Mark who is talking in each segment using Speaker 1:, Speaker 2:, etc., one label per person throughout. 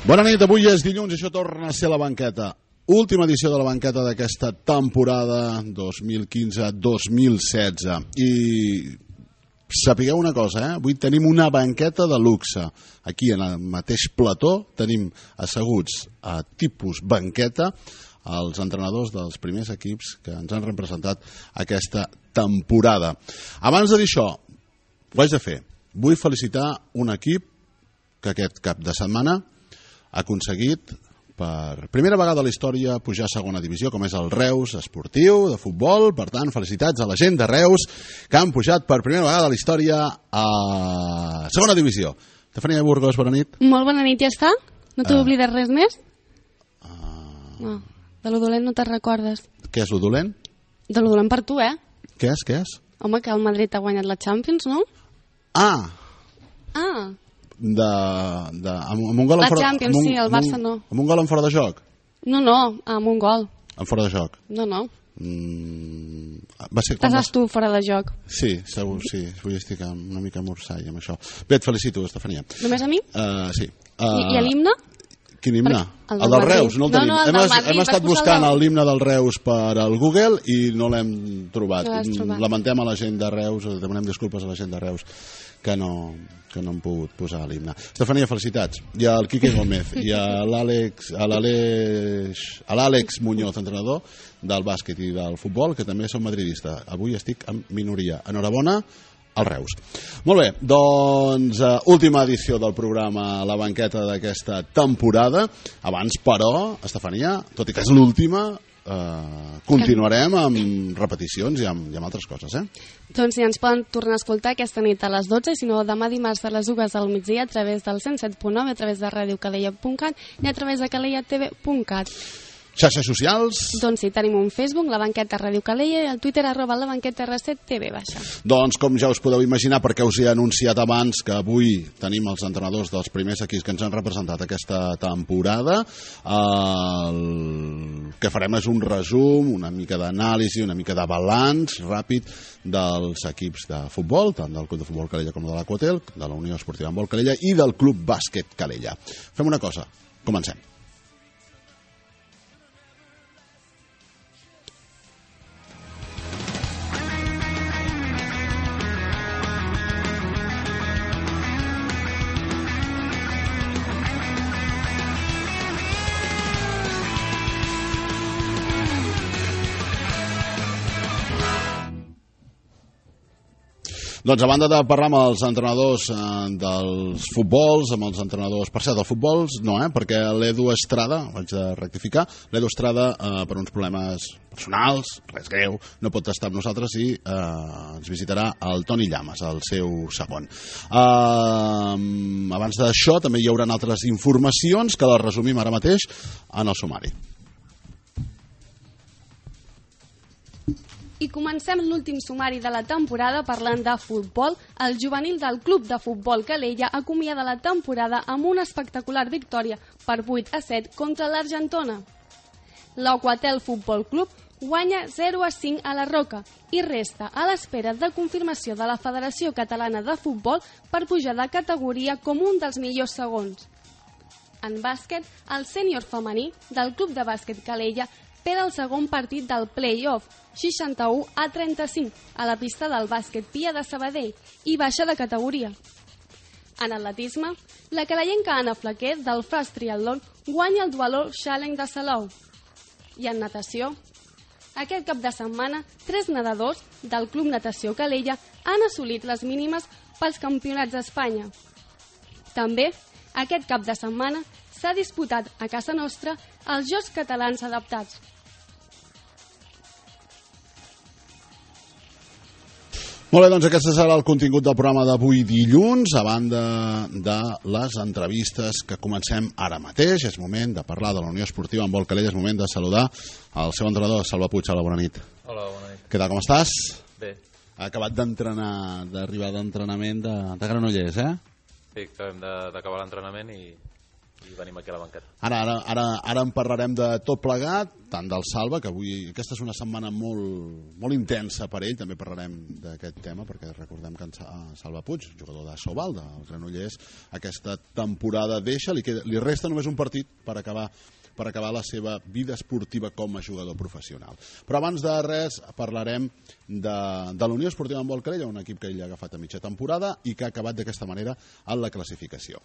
Speaker 1: Bona nit, avui és dilluns i això torna a ser la banqueta. Última edició de la banqueta d'aquesta temporada 2015-2016. I sapigueu una cosa, avui tenim una banqueta de luxe. Aquí, en el mateix plató, tenim asseguts a tipus banqueta els entrenadors dels primers equips que ens han representat aquesta temporada. Abans de dir això, ho haig de fer. Vull felicitar un equip que aquest cap de setmana ha aconseguit per primera vegada a la història pujar a segona divisió, com és el Reus Esportiu de futbol. Per tant, felicitats a la gent de Reus que han pujat per primera vegada a la història a segona divisió. Estefania Burgos, bona nit.
Speaker 2: Molt bona nit, ja està? No t'he oblidat res més? No, de lo dolent no te'n recordes.
Speaker 1: Què és lo dolent?
Speaker 2: De lo dolent per tu,
Speaker 1: Què és?
Speaker 2: Home, que el Madrid ha guanyat la Champions, no?
Speaker 1: Ah! Amb un gol
Speaker 2: la Champions, sí, el Barça no.
Speaker 1: Amb un gol en fora de joc?
Speaker 2: No, amb un gol.
Speaker 1: En fora de joc?
Speaker 2: No.
Speaker 1: Estàs
Speaker 2: tu fora de joc.
Speaker 1: Sí, segur, sí. Avui estic una mica morsall amb això. Bé, et felicito, Estefania.
Speaker 2: Només a mi?
Speaker 1: Sí.
Speaker 2: I a l'himne?
Speaker 1: Quin himne?
Speaker 2: El
Speaker 1: del Reus, no el tenim.
Speaker 2: No, el del Madrid.
Speaker 1: Hem estat buscant l'himne del Reus per al Google i no l'hem trobat. Lamentem a la gent de Reus, demanem disculpes a la gent de Reus que no hem pogut posar l'himne. Estefania, felicitats. I al Quique Gómez i a l'Àlex Muñoz, entrenador del bàsquet i del futbol, que també són madridista. Avui estic en minoria. Enhorabona al Reus. Molt bé, doncs última edició del programa La Banqueta d'aquesta temporada. Abans, però, Estefania, tot i que és l'última, continuarem amb repeticions i amb altres coses,
Speaker 2: Doncs sí, ens poden tornar a escoltar aquesta nit a les 12, si no demà dimarts a les 2 del migdia a través del 107.9, a través de radiocalella.cat i a través de calellatv.cat.
Speaker 1: Xarxes socials?
Speaker 2: Doncs sí, tenim un Facebook, La Banqueta Ràdio Calella, i el Twitter @labanqueta_r7tv.
Speaker 1: Doncs com ja us podeu imaginar, perquè us he anunciat abans que avui tenim els entrenadors dels primers equips que ens han representat aquesta temporada, el que farem és un resum, una mica d'anàlisi, una mica de balanç ràpid dels equips de futbol, tant del Club de Futbol Calella com de l'Aquatel, de la Unió Esportiva Handbol Calella i del Club Bàsquet Calella. Fem una cosa, comencem. Doncs a banda de parlar amb els entrenadors dels futbols, amb els entrenadors, per cert, dels futbols, no, perquè l'Edu Estrada, ho haig de rectificar, l'Edu Estrada, per uns problemes personals, res greu, no pot estar amb nosaltres i ens visitarà el Toni Llamas, el seu segon. Abans d'això també hi haurà altres informacions que les resumim ara mateix en el sumari.
Speaker 2: I comencem l'últim sumari de la temporada parlant de futbol. El juvenil del Club de Futbol Calella acomiada la temporada amb una espectacular victòria per 8-7 contra l'Argentona. L'Aquatel Futbol Club guanya 0-5 a la Roca i resta a l'espera de confirmació de la Federació Catalana de Futbol per pujar de categoria com un dels millors segons. En bàsquet, el sènior femení del Club de Bàsquet Calella per al segon partit del play-off, 61-35, a la pista del bàsquet Pia de Sabadell i baixa de categoria. En atletisme, la calellenca Anna Flaquer del Fast Triathlon guanya el Dualor Challenge de Salou. I en natació, aquest cap de setmana, 3 nedadors del Club Natació Calella han assolit les mínimes pels campionats d'Espanya. També, aquest cap de setmana, s'ha disputat a casa nostra els Jocs Catalans Adaptats.
Speaker 1: Molt bé, doncs aquest serà el contingut del programa d'avui dilluns, a banda de les entrevistes que comencem ara mateix. És moment de parlar de la Unió Esportiva Handbol Calella, és moment de saludar el seu entrenador, Salva Puig. Hola, bona nit.
Speaker 3: Hola, bona nit.
Speaker 1: Què tal, com estàs?
Speaker 3: Bé.
Speaker 1: Ha acabat d'entrenar, d'arribar d'entrenament de Granollers,
Speaker 3: Sí, acabem d'acabar l'entrenament i i venim aquí a la banqueta.
Speaker 1: Ara en parlarem de tot plegat, tant del Salva, que avui aquesta és una setmana molt intensa per ell, també parlarem d'aquest tema, perquè recordem que en Salva Puig, jugador de Sobal, del Granollers, aquesta temporada deixa, li resta només un partit per acabar la seva vida esportiva com a jugador professional. Però abans de res parlarem de la Unió Esportiva Handbol Calella, un equip que ell ha agafat a mitja temporada i que ha acabat d'aquesta manera en la classificació.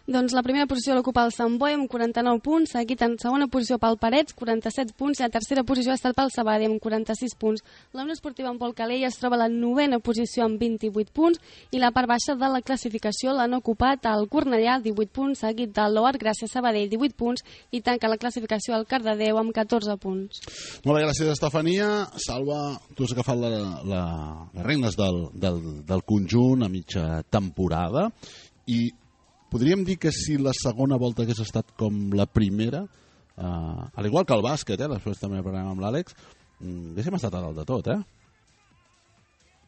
Speaker 2: Doncs la primera posició l'ocupa el Sant Boi amb 49 punts, seguit en segona posició pel Parets, 47 punts, i la tercera posició ha estat pel Sabadell amb 46 punts. La Unió Esportiva Handbol Calella es troba a la novena posició amb 28 punts i la part baixa de la classificació l'han ocupat el Cornellà, 18 punts, seguit del Loar Gràcia Sabadell, 18 punts, i tanca la classificació el Cardedeu amb 14 punts.
Speaker 1: Molt bé, gràcies, Estefania. Salva, tu has agafat les regnes del conjunt a mitja temporada i podríem dir que si la segona volta hagués estat com la primera, al igual que el bàsquet, després també parlarem amb l'Àlex, haguéssim estat a dalt de tot,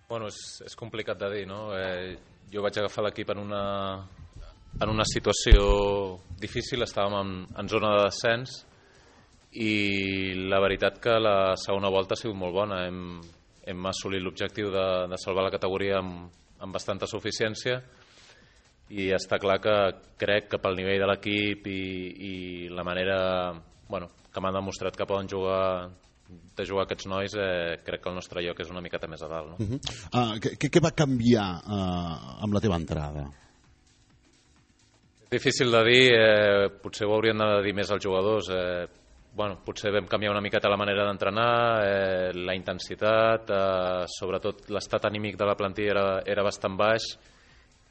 Speaker 3: Bueno, és complicat de dir, no? Jo vaig agafar l'equip en una situació difícil, estàvem en zona de descens i la veritat que la segona volta ha sigut molt bona. Hem assolit l'objectiu de salvar la categoria amb bastanta suficiència i està clar que crec que pel nivell de l'equip i la manera que m'han demostrat que poden jugar aquests nois, crec que el nostre lloc és una miqueta més a dalt, no?
Speaker 1: Què va canviar amb la teva entrada?
Speaker 3: És difícil de dir, potser ho haurien de dir més als jugadors. Potser vam canviar una miqueta la manera d'entrenar, la intensitat, sobretot l'estat anímic de la plantilla era bastant baix,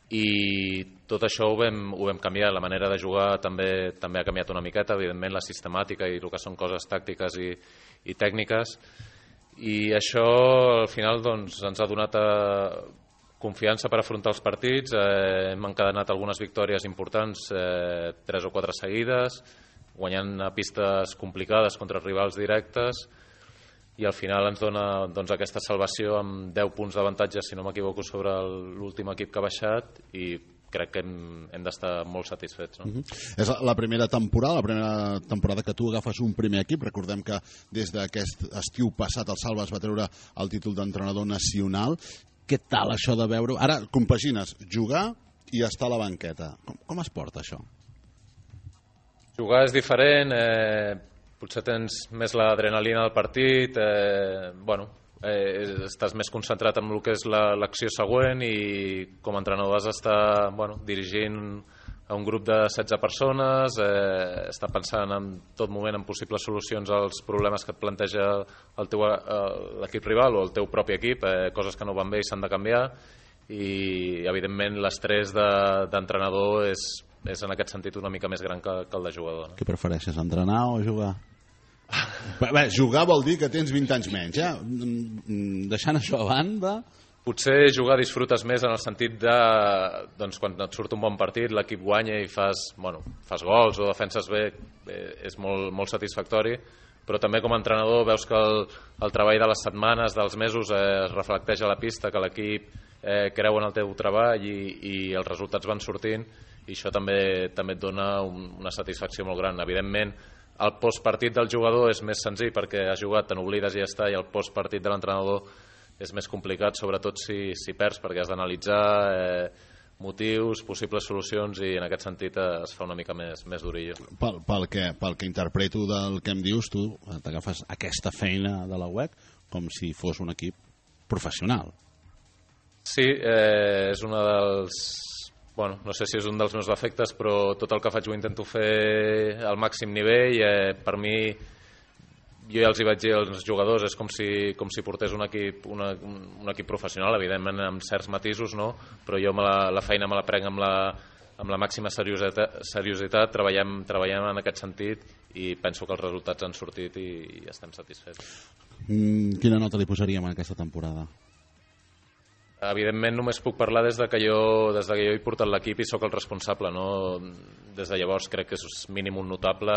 Speaker 3: i tot això ho vam canviar. La manera de jugar també ha canviat una miqueta, evidentment la sistemàtica i el que són coses tàctiques i tècniques, i això al final ens ha donat confiança per afrontar els partits. Hem encadenat algunes victòries importants, 3 o 4 seguides, guanyant a pistes complicades contra rivals directes, i al final ens dona aquesta salvació amb 10 punts d'avantatge, si no m'equivoco, sobre l'últim equip que ha baixat, i crec que hem d'estar molt satisfets, no?
Speaker 1: És la primera temporada que tu agafes un primer equip. Recordem que des d'aquest estiu passat el Salva es va treure el títol d'entrenador nacional. Què tal això de veure... Ara compagines jugar i estar a la banqueta. Com es porta això?
Speaker 3: Jugar és diferent, potser tens més l'adrenalina del partit, estàs més concentrat en el que és l'acció següent, i com a entrenador has d'estar dirigint a un grup de 16 persones, estar pensant en tot moment en possibles solucions als problemes que et planteja l'equip rival o el teu propi equip, coses que no van bé i s'han de canviar, i evidentment l'estrès d'entrenador és en aquest sentit una mica més gran que el de jugador, no?
Speaker 1: Què prefereixes, entrenar o jugar? Bé, jugar vol dir que tens 20 anys menys, deixant això a banda...
Speaker 3: Potser jugar disfrutes més en el sentit de quan et surt un bon partit, l'equip guanya i fas gols o defenses bé, és molt satisfactori, però també com a entrenador veus que el treball de les setmanes, dels mesos, es reflecteix a la pista, que l'equip creu en el teu treball i els resultats van sortint, i això també et dona una satisfacció molt gran. Evidentment, el postpartit del jugador és més senzill perquè has jugat, te n'oblides i ja està, i el postpartit de l'entrenador és més complicat, sobretot si perds, perquè has d'analitzar motius, possibles solucions, i en aquest sentit es fa una mica més durillo.
Speaker 1: Pel que interpreto del que em dius, tu t'agafes aquesta feina de la UEC com si fos un equip professional.
Speaker 3: Sí, és una dels... no sé si és un dels meus defectes, però tot el que faig ho intento fer al màxim nivell. Per mi, jo ja els hi vaig dir als jugadors, és com si portés un equip professional, evidentment amb certs matisos, no? Però jo la feina me la prenc amb la màxima seriositat, treballem en aquest sentit, i penso que els resultats han sortit i estem satisfets.
Speaker 1: Quina nota li posaríem a aquesta temporada?
Speaker 3: Evidentment només puc parlar des de que jo he portat l'equip i sóc el responsable, no? Des de llavors crec que és mínim un notable.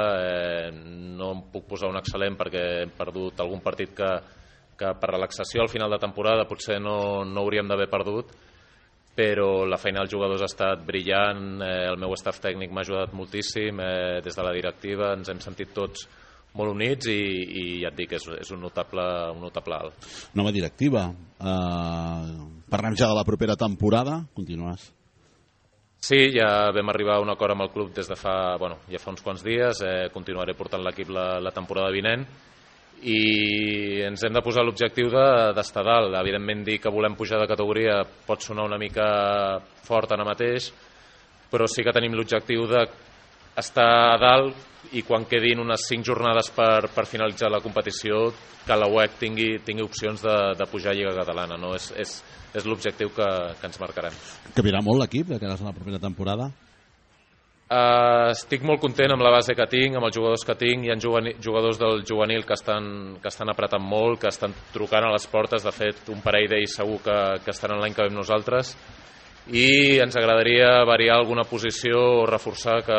Speaker 3: No em puc posar un excel·lent perquè hem perdut algun partit que per relaxació al final de temporada potser no hauríem d'haver perdut, però la feina dels jugadors ha estat brillant, el meu staff tècnic m'ha ajudat moltíssim, des de la directiva ens hem sentit tots molt units i ja et dic, és un notable alt.
Speaker 1: Nova directiva. Parlem ja de la propera temporada. Continues.
Speaker 3: Sí, ja vam arribar a un acord amb el club des de fa uns quants dies. Continuaré portant l'equip la temporada vinent i ens hem de posar l'objectiu d'estar dalt. Evidentment, dir que volem pujar de categoria pot sonar una mica fort ara mateix, però sí que tenim l'objectiu d'estar a dalt i quan quedin unes 5 jornades per finalitzar la competició que la UEC tingui opcions de pujar a Lliga Catalana, no? És l'objectiu que ens marcarem.
Speaker 1: Canviarà molt l'equip de cara a la propera temporada?
Speaker 3: Estic molt content amb la base que tinc, amb els jugadors que tinc. Hi ha jugadors del juvenil que estan apretant molt, que estan trucant a les portes. De fet, un parell d'ells segur que estaran l'any que ve amb nosaltres. I ens agradaria variar alguna posició o reforçar que,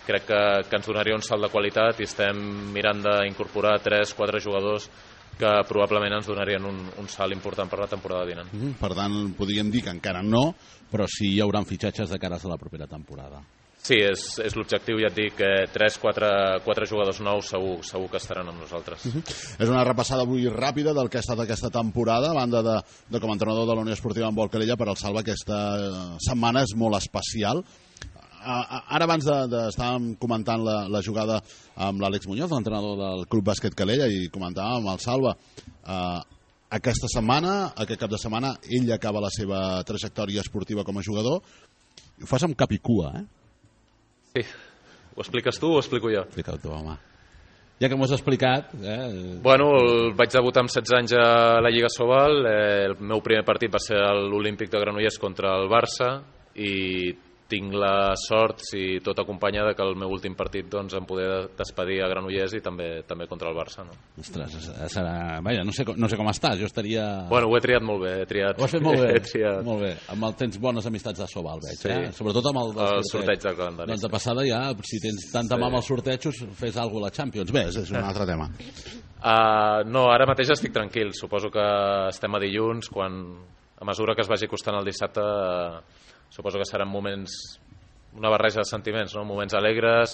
Speaker 3: crec que ens donaria un salt de qualitat i estem mirant d'incorporar 3-4 jugadors que probablement ens donarien un salt important per la temporada vinent.
Speaker 1: Per tant, podríem dir que encara no, però sí hi haurà fitxatges de cara a la propera temporada.
Speaker 3: Sí, és l'objectiu, ja et dic, 3-4 jugadors nous segur que estaran amb nosaltres.
Speaker 1: És una repassada avui ràpida del que ha estat aquesta temporada, a banda de com a entrenador de la Unió Esportiva Handbol Calella. Per al Salva aquesta setmana és molt especial. Ara abans estàvem comentant la jugada amb l'Àlex Muñoz, l'entrenador del Club Bàsquet Calella, i comentàvem amb el Salva aquesta setmana, aquest cap de setmana, ell acaba la seva trajectòria esportiva com a jugador. Ho fas amb cap i cua,
Speaker 3: Sí. Ho expliques tu o ho explico jo?
Speaker 1: Explica-ho tu, home. Ja que m'ho has explicat...
Speaker 3: Vaig debutar amb 16 anys a la Lliga Sobal. El meu primer partit va ser l'Olímpic de Granollers contra el Barça i tinc la sort, si tot acompanya, que el meu últim partit em poder despedir a Granollers i també contra el Barça. No?
Speaker 1: Ostres, serà... Vaja, no sé com estàs, jo estaria...
Speaker 3: Ho he triat molt bé.
Speaker 1: Ho has fet molt bé, molt bé. Tens bones amistats de Sobal, veig,
Speaker 3: sí.
Speaker 1: Sobretot amb el
Speaker 3: sorteig del calendari.
Speaker 1: Doncs de passada ja, si tens tanta mà amb els sortejos, fes alguna cosa a la Champions. Bé, és un altre tema.
Speaker 3: No, ara mateix estic tranquil. Suposo que estem a dilluns, a mesura que es vagi costant el dissabte... Suposo que seran moments, una barreja de sentiments, no? Moments alegres,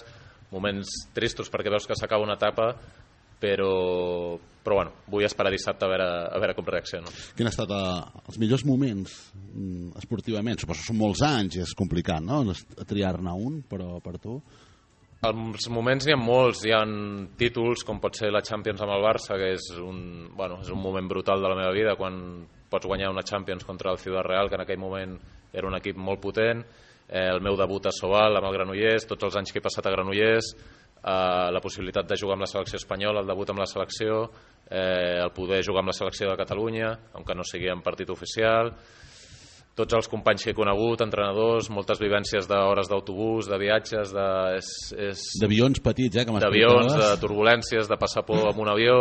Speaker 3: moments tristos perquè veus que s'acaba una etapa, però vull esperar dissabte a veure com reacciono.
Speaker 1: Quin han estat els millors moments esportivament? Suposo que són molts anys i és complicat, no? Triar-ne un, però per tu...
Speaker 3: Els moments n'hi ha molts, hi ha títols com pot ser la Champions amb el Barça, que és un moment brutal de la meva vida, quan pots guanyar una Champions contra el Ciudad Real, que en aquell moment era un equip molt potent, el meu debut a Sobal amb el Granollers, tots els anys que he passat a Granollers, la possibilitat de jugar amb la selecció espanyola, el debut amb la selecció, el poder jugar amb la selecció de Catalunya, aunque no sigui en partit oficial, tots els companys que he conegut, entrenadors, moltes vivències d'hores d'autobús, de viatges,
Speaker 1: d'avions petits, que
Speaker 3: d'avions, de turbulències, de passar por amb un avió...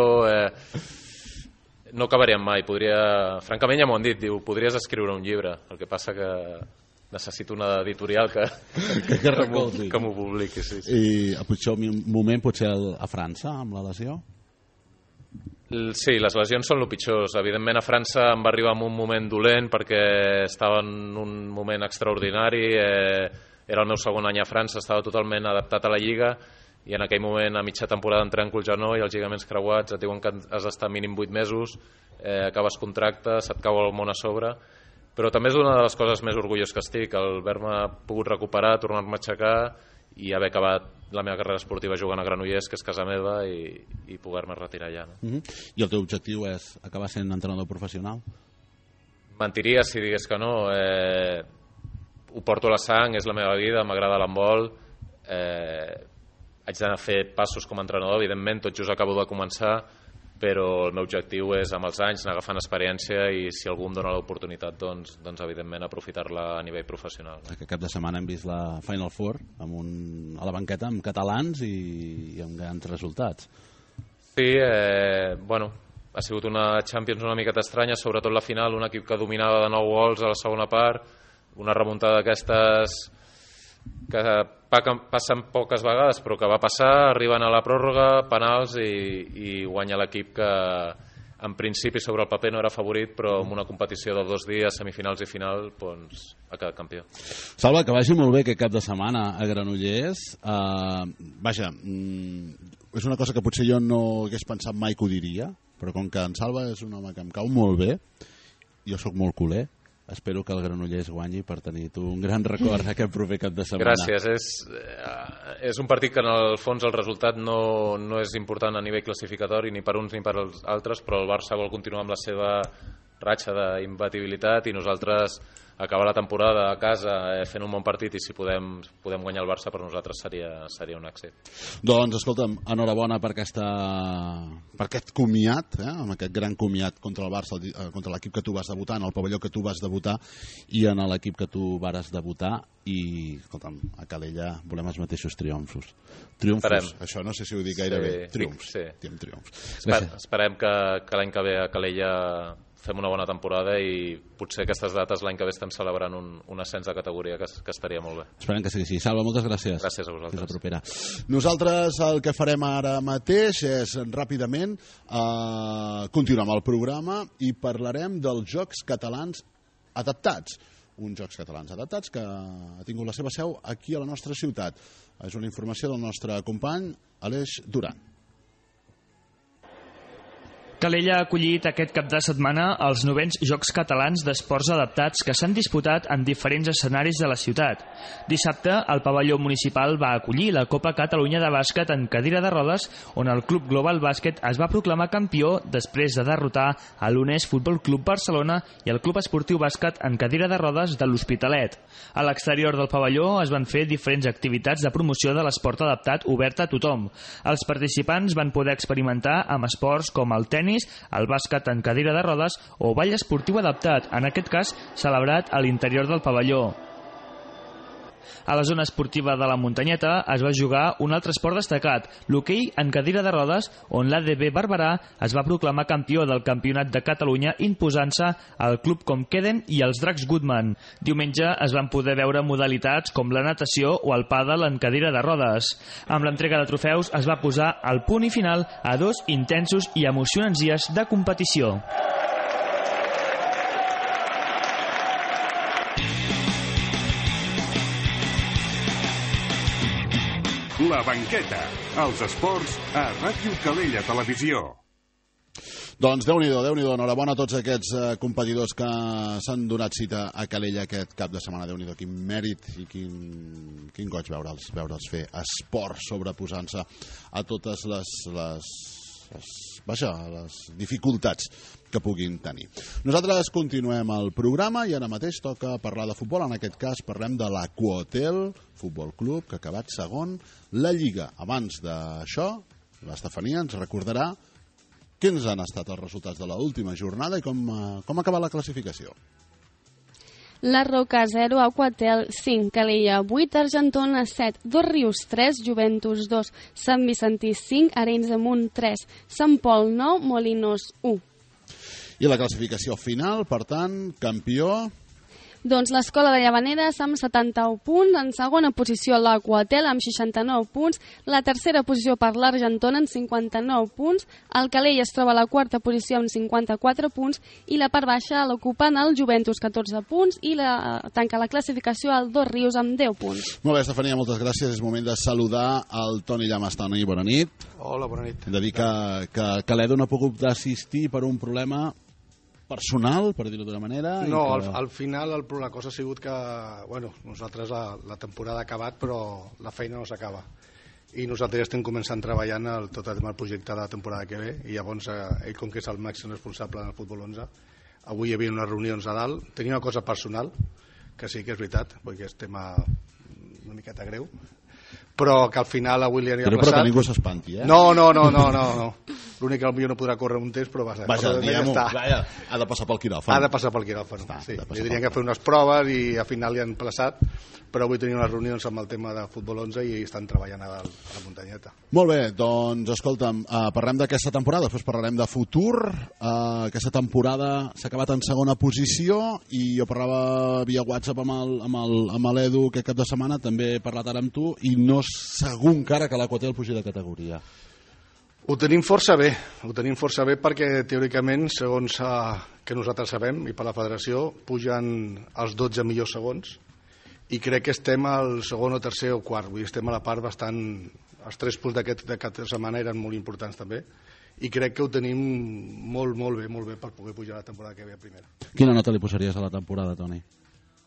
Speaker 3: No acabaríem mai. Francament ja m'ho han dit, diu, podries escriure un llibre, el que passa que necessito una editorial que m'ho publiqui. Sí.
Speaker 1: I el pitjor moment potser a França, amb la lesió?
Speaker 3: Sí, les lesions són el pitjor. Evidentment a França em va arribar en un moment dolent perquè estava en un moment extraordinari, era el meu segon any a França, estava totalment adaptat a la Lliga i en aquell moment a mitja temporada em trenco el genoll, els lligaments creuats, et diuen que has d'estar mínim 8 mesos, acabes contracte, se't cau el món a sobre, però també és una de les coses més orgullós que estic, el haver-me pogut recuperar, tornar-me a aixecar i haver acabat la meva carrera esportiva jugant a Granollers, que és casa meva, i poder-me retirar allà. No?
Speaker 1: I el teu objectiu és acabar sent entrenador professional?
Speaker 3: Mentiria si digués que no. Ho porto a la sang, és la meva vida, m'agrada l'handbol, haig d'anar a fer passos com a entrenador, evidentment, tot just acabo de començar, però el meu objectiu és, amb els anys, anar agafant experiència i si algú em dona l'oportunitat, doncs evidentment, aprofitar-la a nivell professional.
Speaker 1: Aquest cap de setmana hem vist la Final Four a la banqueta amb catalans i amb grans resultats.
Speaker 3: Sí, ha sigut una Champions una miqueta estranya, sobretot la final, un equip que dominava de 9 gols a la segona part, una remuntada d'aquestes que passen poques vegades però que va passar, arriben a la pròrroga, penals i guanya l'equip que en principi sobre el paper no era favorit, però en una competició de 2 dies, semifinals i final, doncs ha quedat campió.
Speaker 1: Salva, que vagi molt bé aquest cap de setmana a Granollers. Vaja, és una cosa que potser jo no hagués pensat mai que ho diria, però com que en Salva és un home que em cau molt bé, jo sóc molt culer, espero que el Granollers guanyi per tenir tu un gran record aquest proper cap de setmana.
Speaker 3: Gràcies. És un partit que en el fons el resultat no és important a nivell classificatori ni per uns ni per als altres, però el Barça vol continuar amb la seva ratxa d'imbatibilitat i nosaltres acabar la temporada a casa fent un bon partit, i si podem guanyar el Barça per nosaltres seria un èxit.
Speaker 1: Doncs escolta'm, enhorabona per aquest comiat, amb aquest gran comiat contra el Barça, contra l'equip que tu vas debutar, en el pavelló que tu vas debutar i en l'equip que tu vares debutar, i escolta'm, a Calella volem els mateixos triomfos. Triomfos, això no sé si ho dic gaire bé. Triomfs, diem triomfs.
Speaker 3: Esperem que l'any que ve a Calella fem una bona temporada i potser aquestes dates l'any que ve estem celebrant un ascens de categoria que estaria molt bé.
Speaker 1: Esperem que sigui així. Salva, moltes gràcies.
Speaker 3: Gràcies a vosaltres.
Speaker 1: Fins la propera. Nosaltres el que farem ara mateix és ràpidament continuar amb el programa i parlarem dels Jocs Catalans Adaptats. Uns Jocs Catalans Adaptats que ha tingut la seva seu aquí a la nostra ciutat. És una informació del nostre company Aleix Duran.
Speaker 4: Calella ha acollit aquest cap de setmana els 9è Jocs Catalans d'Esports Adaptats que s'han disputat en diferents escenaris de la ciutat. Dissabte, el pavelló municipal va acollir la Copa Catalunya de bàsquet en cadira de rodes, on el Club Global Bàsquet es va proclamar campió després de derrotar a l'UNES Futbol Club Barcelona i el Club Esportiu Bàsquet en cadira de rodes de l'Hospitalet. A l'exterior del pavelló es van fer diferents activitats de promoció de l'esport adaptat obert a tothom. Els participants van poder experimentar amb esports com el tenis, el bàsquet en cadira de rodes o ball esportiu adaptat, en aquest cas celebrat a l'interior del pavelló. A la zona esportiva de la Muntanyeta es va jugar un altre esport destacat, l'hoquei en cadira de rodes, on l'ADB Barberà es va proclamar campió del Campionat de Catalunya imposant-se al Club Comqueden i els Dracs Goodman. Diumenge es van poder veure modalitats com la natació o el pàdel en cadira de rodes. Amb l'entrega de trofeus es va posar el punt i final a 2 intensos i emocionants dies de competició.
Speaker 5: La banqueta, els esports a Ràdio Calella Televisió.
Speaker 1: Doncs Déu-n'hi-do, enhorabona a tots aquests competidors que s'han donat cita a Calella aquest cap de setmana. Déu-n'hi-do, quin mèrit i quin goig veure'ls fer esport sobreposant-se a totes les dificultats que puguin tenir. Nosaltres continuem el programa i ara mateix toca parlar de futbol. En aquest cas parlem de l'Aquahotel Futbol Club, que ha acabat segon la Lliga. Abans d'això, l'Estefania ens recordarà quins han estat els resultats de l'última jornada i com ha acabat la classificació.
Speaker 2: La Roca 0, Aquahotel 5, Calella 8, Argentona 7, Dos Rius 3, Juventus 2, Sant Vicentí 5, Arenys de Munt 3, Sant Pol 9, Molinos 1.
Speaker 1: I la classificació final, per tant, campió...
Speaker 2: Doncs l'Escola de Llavaneres amb 71 punts, en segona posició l'Aquahotel amb 69 punts, la tercera posició per l'Argentona amb 59 punts, el Calella es troba a la quarta posició amb 54 punts i la part baixa l'ocupen el Juventus 14 punts i tanca la classificació el Dos Rius amb 10 punts.
Speaker 1: Molt bé, Estefania, moltes gràcies. És moment de saludar el Toni Llamas. Toni, bona nit.
Speaker 6: Hola, bona nit.
Speaker 1: Hem de dir que l'Edu no ha pogut assistir per un problema personal, per dir-ho d'una manera.
Speaker 6: No, al final la cosa ha sigut que nosaltres la temporada ha acabat, però la feina no s'acaba. I nosaltres ja estem començant treballant tot el projecte de la temporada que ve, i llavors ell, com que és el màxim responsable del futbol 11, avui hi havia unes reunions a dalt. Tenia una cosa personal, que sí que és veritat, perquè és tema una miqueta greu, però que al final avui li anirà
Speaker 1: plaçat. Però que ningú s'espanti, eh?
Speaker 6: No. L'únic que potser no podrà córrer un test, però vaja,
Speaker 1: ha de passar pel quiròfan.
Speaker 6: Ha de passar pel quiròfan, sí. Li dirien que fer unes proves i al final li han plaçat, però avui tenia unes reunions amb el tema de futbol 11 i estan treballant a la muntanyeta.
Speaker 1: Molt bé, doncs escolta'm, parlem d'aquesta temporada, després parlarem de futur. Aquesta temporada s'ha acabat en segona posició i jo parlava via WhatsApp amb l'Edu aquest cap de setmana, també he parlat ara amb tu, i no és segur encara que l'Aquahotel pugi de categoria.
Speaker 6: Ho tenim força bé perquè teòricament, segons que nosaltres sabem, i per la federació, pugen els 12 millors segons i crec que estem al segon o tercer o quart, vull dir, estem a la part bastant... Els 3 punts d'aquesta setmana eren molt importants també i crec que ho tenim molt bé per poder pujar la temporada que ve a primera.
Speaker 1: Quina nota li posaries a la temporada, Toni?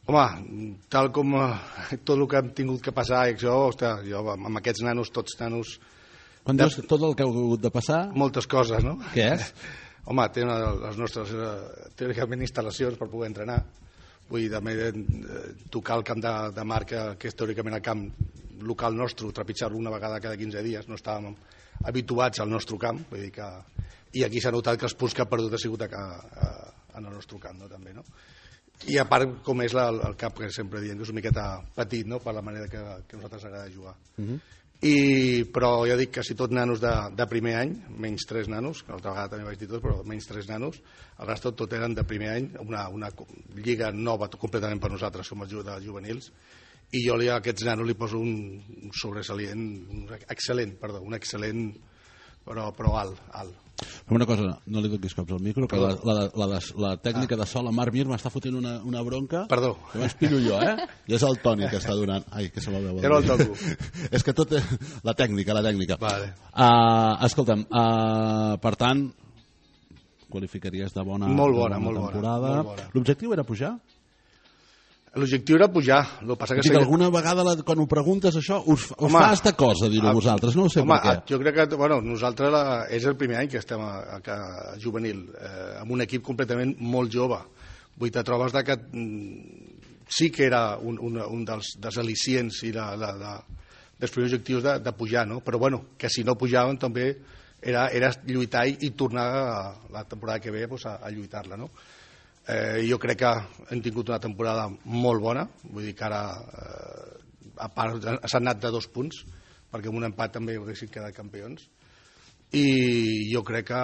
Speaker 6: Home, tal com tot el que hem tingut que passar, jo amb aquests nanos, tots nanos...
Speaker 1: Quan dius tot el que heu hagut de passar...
Speaker 6: Moltes coses, no?
Speaker 1: Què és?
Speaker 6: Home, tenen les nostres, teòricament, instal·lacions per poder entrenar. Vull dir, també tocar el camp de marca, que és teòricament el camp local nostre, trepitjar-lo una vegada cada 15 dies. No estàvem habituats al nostre camp, vull dir que... I aquí s'ha notat que els punts que ha perdut ha sigut en el nostre camp, no? També, no? I a part, com és el camp que sempre diem, que és una miqueta petit, no?, per la manera que a nosaltres agrada jugar. Però ja dic que si tot nanos de primer any, menys 3 nanos, que l'altra vegada també vaig dir tot, però menys 3 nanos, el rest tot eren de primer any, una lliga nova completament per nosaltres, som els juvenils, i jo a aquests nanos li poso un sobresalient, un excel·lent, però alt.
Speaker 1: Però una cosa, no li donis cops al micro, que la tècnica de sol a Marc Mir m'està fotent una bronca.
Speaker 6: Perdó.
Speaker 1: Que m'espillo jo, I és el Toni que està donant... Ai, que se la veu.
Speaker 6: Era el toco.
Speaker 1: És que tot... La tècnica.
Speaker 6: Vale.
Speaker 1: Escolta'm, per tant, qualificaries de bona temporada. L'objectiu era pujar?
Speaker 6: L'objectiu era pujar.
Speaker 1: Alguna vegada, quan ho preguntes, això, us fa esta cosa, dir-ho vosaltres. No ho sé per què.
Speaker 6: Jo crec que nosaltres és el primer any que estem a juvenil, amb un equip completament molt jove. Vull dir, te trobes que sí que era un dels al·licients i dels primers objectius de pujar, no? Però que si no pujaven també era lluitar i tornar la temporada que ve a lluitar-la, no? Jo crec que hem tingut una temporada molt bona, vull dir que ara a part s'ha anat de 2 punts perquè amb un empat també haguessin quedat campions i jo crec que...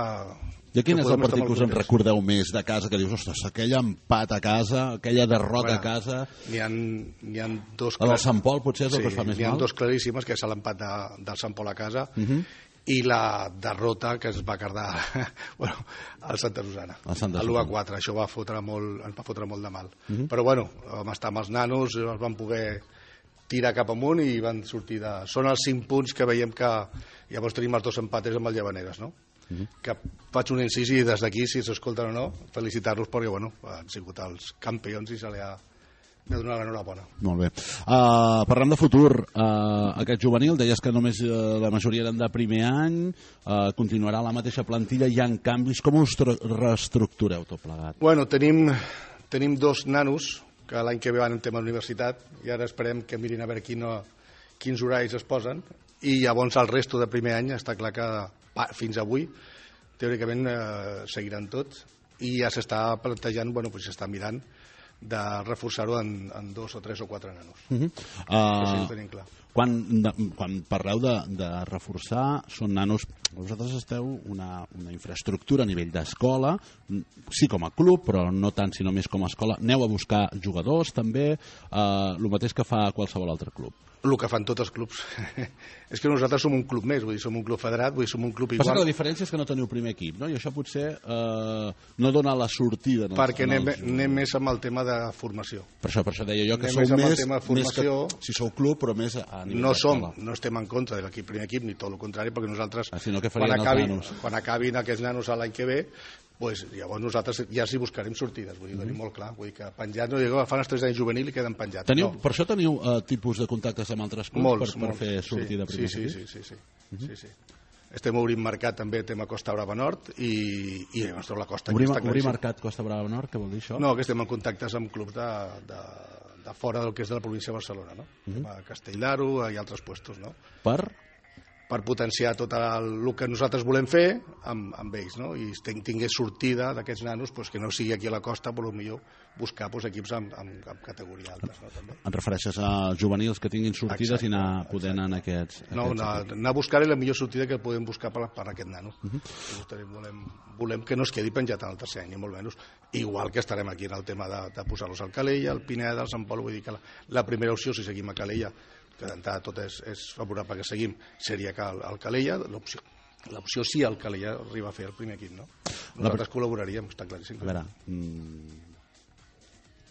Speaker 1: I quin és el partit que us en recordeu més de casa, que dius, ostres, aquell empat a casa, aquella derrota a casa...
Speaker 6: N'hi ha 2...
Speaker 1: El del Sant Pol potser és el que us fa més mal?
Speaker 6: N'hi ha 2 claríssimes, que és l'empat del Sant Pol a casa i la derrota que es va quedar al Santa Susana, a l'1-4. Això ens va fotre molt de mal. Però vam estar amb els nanos, els vam poder tirar cap amunt i van sortir de... Són els 5 punts que veiem que llavors tenim els 2 empates amb el Llavaneres, no? Que faig un incís i des d'aquí, si s'escolten o no, felicitar-los perquè han sigut els campions i se li ha de donar l'enhorabona.
Speaker 1: Molt bé. Parlem de futur. Aquest juvenil, deies que només la majoria eren de primer any, continuarà la mateixa plantilla, hi ha canvis. Com us reestructureu tot plegat?
Speaker 6: Tenim 2 nanos que l'any que ve van en tema d'universitat i ara esperem que mirin a veure quins horaris es posen i llavors el resto de primer any està clar que fins avui teòricament seguiran tots i ja s'està plantejant, s'està mirant de reforçar-ho en 2 o 3 o 4 nanos. Això sí ho tenim clar.
Speaker 1: Quan parleu de reforçar, són nanos... Vosaltres esteu una infraestructura a nivell d'escola, sí com a club, però no tant sinó més com a escola. Aneu a buscar jugadors també, el mateix que fa qualsevol altre club.
Speaker 6: El que fan tots els clubs. És que nosaltres som un club més, vull dir, som un club federat, vull dir, som un club igual.
Speaker 1: Passa que la diferència és que no teniu primer equip, no? I això potser no dona la sortida.
Speaker 6: Perquè anem més amb el tema de formació.
Speaker 1: Per això deia jo que sou més que si sou club, però més a nivell d'escola.
Speaker 6: No estem en contra de l'equip primer equip, ni tot el contrari, perquè nosaltres, quan acabin aquests nanos l'any que ve, llavors nosaltres ja s'hi buscarem sortides, vull dir, tenim molt clar, vull dir que penjats, no digue, fan els 3 anys juvenil i queden penjats.
Speaker 1: Per això teniu tipus de contactes amb altres clubs per fer sortida primer equip?
Speaker 6: Sí. Estem obrint mercat també tema Costa Brava Nord i la costa...
Speaker 1: Obrir mercat Costa Brava Nord, què vol dir això?
Speaker 6: No, que estem en contactes amb clubs de fora del que és de la província de Barcelona, no? A Castelldaro i altres puestos, no? Per potenciar tot el que nosaltres volem fer amb ells, no? I tingués sortida d'aquests nanos, que no sigui aquí a la costa, però millor buscar equips amb categoria alta.
Speaker 1: Et refereixes a juvenils que tinguin sortides i anar podent en aquests...
Speaker 6: No, anar a buscar la millor sortida que podem buscar per aquest nano. Volem que no es quedi penjat en el tercer any, ni molt menys. Igual que estarem aquí en el tema de posar-los al Calella, al Pineda, al Sant Pol, vull dir que la primera opció, si seguim a Calella, que d'entrada tot és favorable que seguim, seria que el Calella, l'opció sí el Calella arriba a fer el primer equip, no? Nosaltres col·laboraríem, està claríssim.
Speaker 1: A veure,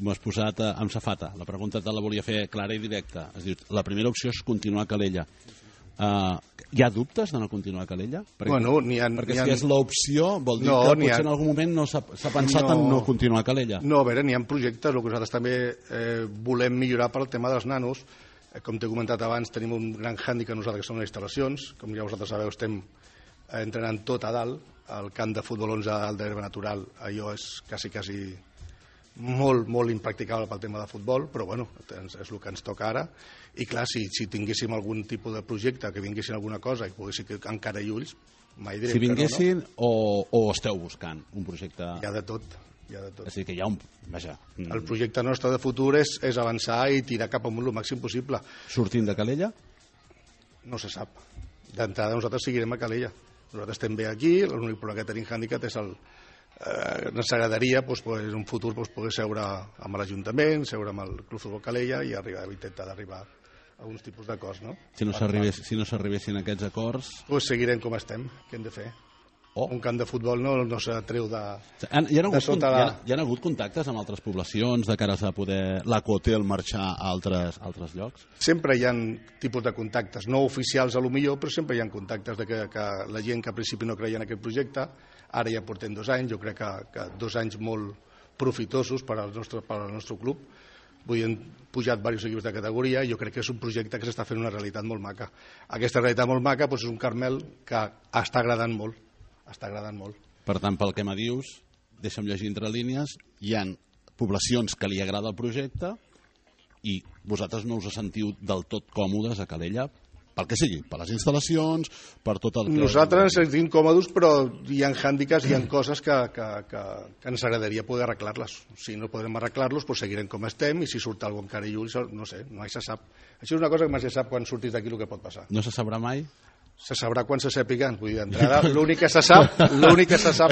Speaker 1: m'ho has posat amb safata. La pregunta te la volia fer clara i directa. Es diu, la primera opció és continuar a Calella. Hi ha dubtes de no continuar a Calella? Perquè si és l'opció vol dir que potser en algun moment no s'ha pensat en no continuar a Calella.
Speaker 6: No, a veure, n'hi ha projectes, el que nosaltres també volem millorar per al tema dels nanos. Com t'he comentat abans, tenim un gran hàndicap nosaltres que són les instal·lacions. Com ja vosaltres sabeu, estem entrenant tot a dalt. El camp de futbol 11 a dalt d'herba natural, allò és quasi molt, molt impracticable pel tema de futbol, però bueno, és el que ens toca ara. I clar, si tinguéssim algun tipus de projecte, que vinguessin alguna cosa i poguéssim encara i ulls, mai direm
Speaker 1: si vinguessin
Speaker 6: que no.
Speaker 1: O esteu buscant un projecte...
Speaker 6: Hi ha de tot.
Speaker 1: És a dir, que hi ha un... Vaja.
Speaker 6: El projecte nostre de futur és avançar i tirar cap amunt el màxim possible.
Speaker 1: Sortint de Calella?
Speaker 6: No se sap. D'entrada nosaltres seguirem a Calella. Nosaltres estem bé aquí, l'únic problema que tenim hàndicap és ens agradaria en un futur poder seure amb l'Ajuntament, seure amb el Club Futbol Calella i intentar d'arribar a uns tipus d'acords, no?
Speaker 1: Si no s'arribessin aquests acords...
Speaker 6: Seguirem com estem, què hem de fer? Un camp de futbol no s'atreu de sota la...
Speaker 1: Hi ha hagut contactes amb altres poblacions de cara a poder l'Acotel marxar a altres llocs?
Speaker 6: Sempre hi ha tipus de contactes, no oficials a lo millor, però sempre hi ha contactes de que la gent que al principi no creia en aquest projecte, ara ja portem 2 anys, jo crec que 2 anys molt profitosos per al nostre club. Han pujat diversos equips de categoria i jo crec que és un projecte que s'està fent una realitat molt maca. Aquesta realitat molt maca és un Carmel que està agradant molt.
Speaker 1: Per tant, pel que me dius, deixa'm llegir entre línies, hi ha poblacions que li agrada el projecte i vosaltres no us sentiu del tot còmodes a Calella, pel que sigui, per les instal·lacions, per tot el que...
Speaker 6: Nosaltres ens sentim còmodes, però hi ha hàndicaps, hi ha coses que ens agradaria poder arreglar-les. Si no podrem arreglar-los, seguirem com estem, i si surt alguna cosa encara i ulls, no sé, mai se sap. Això és una cosa que mai se sap quan surtis d'aquí el que pot passar.
Speaker 1: No se sabrà mai?
Speaker 6: Se sabrà quan se sàpiga. Vull dir, d'entrada, l'únic que se sap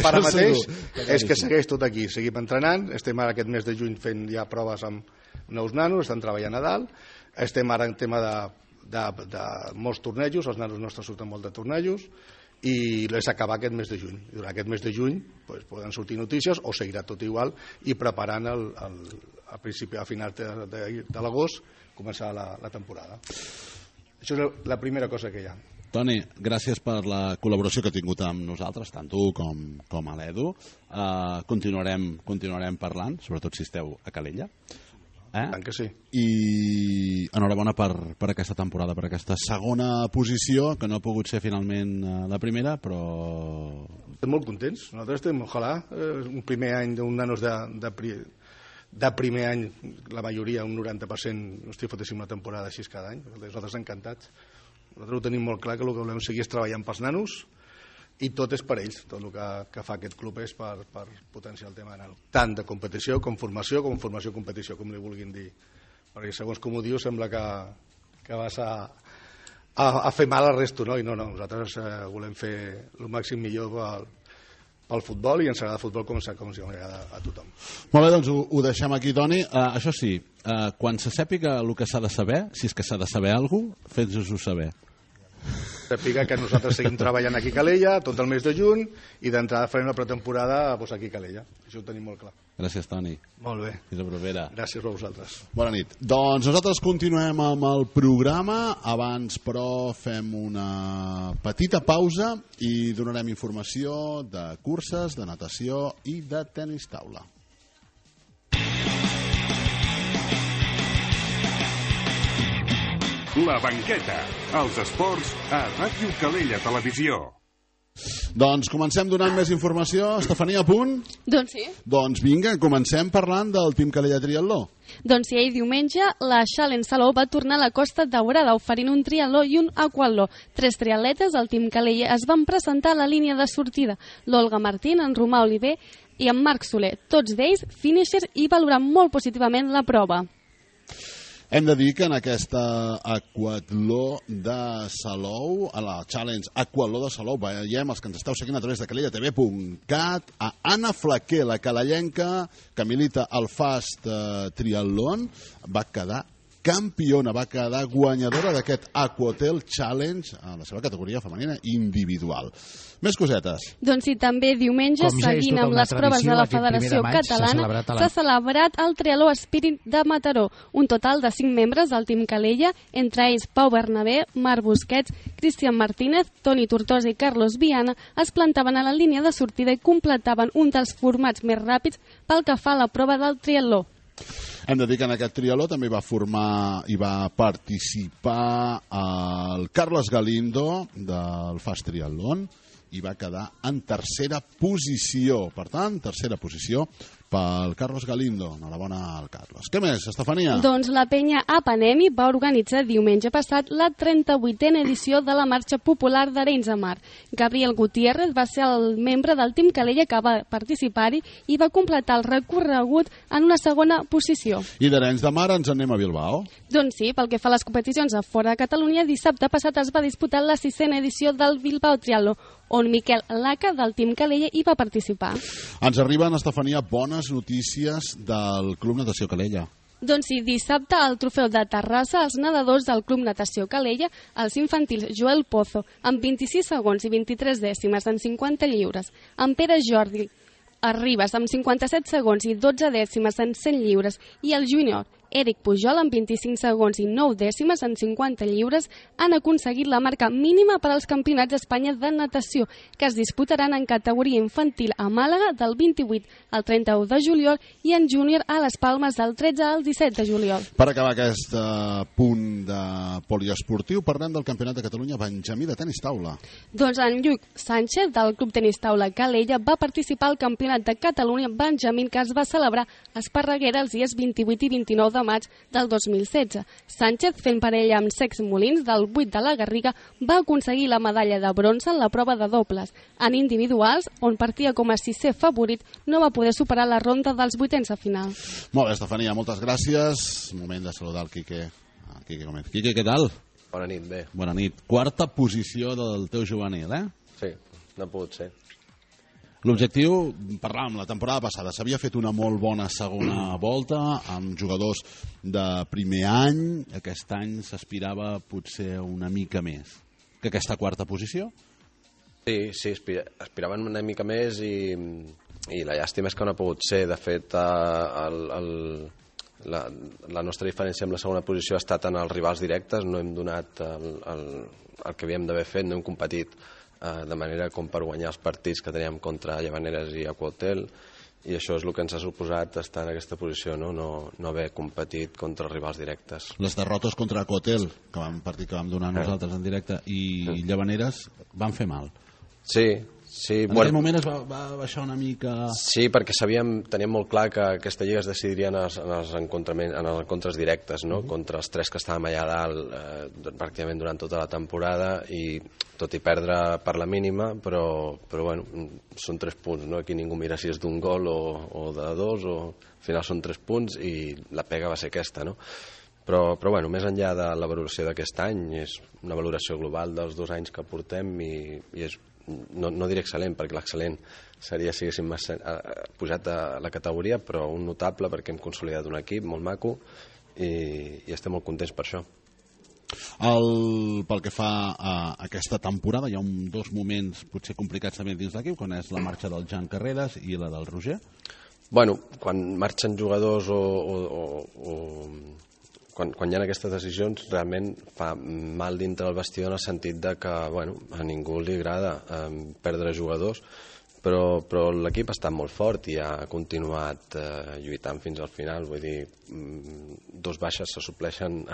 Speaker 6: ara mateix és que segueix tot aquí. Seguim entrenant, estem ara aquest mes de juny fent ja proves amb nous nanos, estan treballant a dalt, estem ara en tema de molts tornejos, els nanos nostres surten molt de tornejos, i és acabar aquest mes de juny. Durant aquest mes de juny poden sortir notícies o seguirà tot igual i preparant a finals de l'agost començar la temporada. Això és la primera cosa que hi ha.
Speaker 1: Toni, gràcies per la col·laboració que ha tingut amb nosaltres, tant tu com a l'Edu. Continuarem parlant, sobretot si esteu a Calella.
Speaker 6: Tant que sí.
Speaker 1: I enhorabona per aquesta temporada, per aquesta segona posició, que no ha pogut ser finalment la primera, però...
Speaker 6: Estem molt contents. Nosaltres estem, ojalà, un primer any d'un nanos de primer any, la majoria, un 90%, no estic fotéssim una temporada així cada any. Nosaltres encantats. Nosaltres ho tenim molt clar que el que volem seguir és treballant pels nanos i tot és per ells. Tot el que fa aquest club és per potenciar el tema nano. Tant de competició com formació competició, com li vulguin dir. Perquè segons com ho dius sembla que vas a fer mal al resto, no? I no, nosaltres volem fer el màxim millor pel futbol i ens agrada el futbol com ens agrada a tothom.
Speaker 1: Molt bé, doncs ho deixem aquí, Toni. Això sí, quan se sàpiga el que s'ha de saber, si és que s'ha de saber alguna cosa, fes-nos-ho saber.
Speaker 6: Sàpiga que nosaltres seguim treballant aquí a Calella tot el mes de juny i d'entrada farem la pretemporada aquí a Calella. Això ho tenim molt clar.
Speaker 1: Gràcies, Toni.
Speaker 6: Molt bé.
Speaker 1: Fins la propera.
Speaker 6: Gràcies a vosaltres.
Speaker 1: Bona nit. Doncs nosaltres continuem amb el programa. Abans, però, fem una petita pausa i donarem informació de curses, de natació i de tenis taula.
Speaker 5: La banqueta, els esports a Ràdio Calella Televisió.
Speaker 1: Doncs comencem donant més informació. Estefania, a punt?
Speaker 2: Doncs sí.
Speaker 1: Doncs vinga, comencem parlant del Team Calella Triatló.
Speaker 2: Doncs sí, ahir diumenge la Challenge Salou va tornar a la Costa Daurada oferint un triatló i un aquatló. 3 triatletes del Team Calella es van presentar a la línia de sortida. L'Olga Martín, en Romà Oliver i en Marc Soler. Tots d'ells finishers i valorant molt positivament la prova.
Speaker 1: Hem de dir que en aquesta aquatló de Salou, a la Challenge Aquatló de Salou, veiem els que ens esteu seguint a través de calellatv.cat, a Anna Flaquer, la calellenca, que milita al Fast Triathlon, va quedar campiona, va quedar guanyadora d'aquest Aquatel Challenge a la seva categoria femenina individual. Més cosetes.
Speaker 2: Doncs sí, també diumenge, seguint amb les proves de la Federació Catalana, s'ha celebrat el Triatló Spirit de Mataró. Un total de 5 membres del Team Calella, entre ells Pau Bernabé, Marc Busquets, Cristian Martínez, Toni Tortosa i Carlos Viana, es plantaven a la línia de sortida i completaven un dels formats més ràpids pel que fa a la prova del triatló.
Speaker 1: Hem de dir que en aquest triatló també va formar i va participar el Carles Galindo del Fast Triatlón i va quedar en tercera posició. Per tant, tercera posició pel Carlos Galindo. Enhorabona al Carlos. Què més, Estefania?
Speaker 2: Doncs la penya Apanemi va organitzar diumenge passat la 38a edició de la Marxa Popular d'Arenys de Mar. Gabriel Gutiérrez va ser el membre del Team Calella que va participar-hi i va completar el recorregut en una segona posició.
Speaker 1: I d'Arenys de Mar ens anem a Bilbao?
Speaker 2: Doncs sí, pel que fa a les competicions a fora de Catalunya, dissabte passat es va disputar la 6a edició del Bilbao Triathló, on Miquel Laca del Team Calella hi va participar.
Speaker 1: Ens arriben, Estefania, bones notícies del Club Natació Calella.
Speaker 2: Doncs sí, dissabte al trofeu de Terrassa, els nedadors del Club Natació Calella, els infantils Joel Pozo, amb 26 segons i 23 dècimes en 50 lliures, en Pere Jordi Arribas, amb 57 segons i 12 dècimes en 100 lliures, i el júnior Eric Pujol, amb 25 segons i 9 dècimes en 50 lliures, han aconseguit la marca mínima per als Campionats d'Espanya de natació, que es disputaran en categoria infantil a Màlaga del 28 al 31 de juliol i en júnior a les Palmes del 13 al 17 de juliol.
Speaker 1: Per acabar aquest punt de poliesportiu, parlem del Campionat de Catalunya Benjamí de tenis taula.
Speaker 2: Doncs en Lluc Sánchez, del Club Tenis Taula Calella, va participar al Campionat de Catalunya Benjamí, que es va celebrar a Esparreguera els dies 28 i 29 de maig del 2016. Sánchez, fent parella amb Sex Molins, del 8 de la Garriga, va aconseguir la medalla de bronze en la prova de dobles. En individuals, on partia com a 6è favorit, no va poder superar la ronda dels 8ens de final.
Speaker 1: Molt bé, Estefania, moltes gràcies. Moment de saludar el Quique. Quique, què tal?
Speaker 7: Bona nit, bé.
Speaker 1: Bona nit. Quarta posició del teu juvenil, eh?
Speaker 7: Sí, no ha pogut ser.
Speaker 1: L'objectiu, parlàvem la temporada passada, s'havia fet una molt bona segona volta amb jugadors de primer any. Aquest any s'aspirava potser una mica més que aquesta quarta posició.
Speaker 7: Sí, aspiraven una mica més i la llàstima és que no ha pogut ser. De fet, la nostra diferència amb la segona posició ha estat en els rivals directes. No hem donat el que havíem d'haver fet, no hem competit de manera com per guanyar els partits que teníem contra Llavaneres i Aquatel, i això és el que ens ha suposat estar en aquesta posició, no haver competit contra els rivals directes.
Speaker 1: Les derrotes contra Aquatel, que vam donar nosaltres en directe, i Llavaneres van fer mal.
Speaker 7: Sí.
Speaker 1: En aquell moment es va baixar una mica...
Speaker 7: Sí, perquè teníem molt clar que aquesta lliga es decidiria en els encontres directes, no? Contra els 3 que estàvem allà dalt pràcticament durant tota la temporada, i tot i perdre per la mínima, però bueno, són 3 punts, no? Aquí ningú mira si és d'un gol o de 2, al final són 3 punts i la pega va ser aquesta, no? Però bueno, més enllà de la valoració d'aquest any, és una valoració global dels 2 anys que portem i és, no diré excel·lent, perquè l'excel·lent seria si haguéssim pujat a la categoria, però un notable perquè hem consolidat un equip molt maco i estem molt contents per això.
Speaker 1: Pel que fa a aquesta temporada, hi ha 2 moments potser complicats també dins l'equip, quan és la marxa del Jan Carreras i la del Roger.
Speaker 7: Bueno, quan marxen jugadors quan hi ha aquestes decisions, realment fa mal dintre el vestidor en el sentit de que a ningú li agrada perdre jugadors, però l'equip ha estat molt fort i ha continuat lluitant fins al final. Vull dir, 2 baixes se supleixen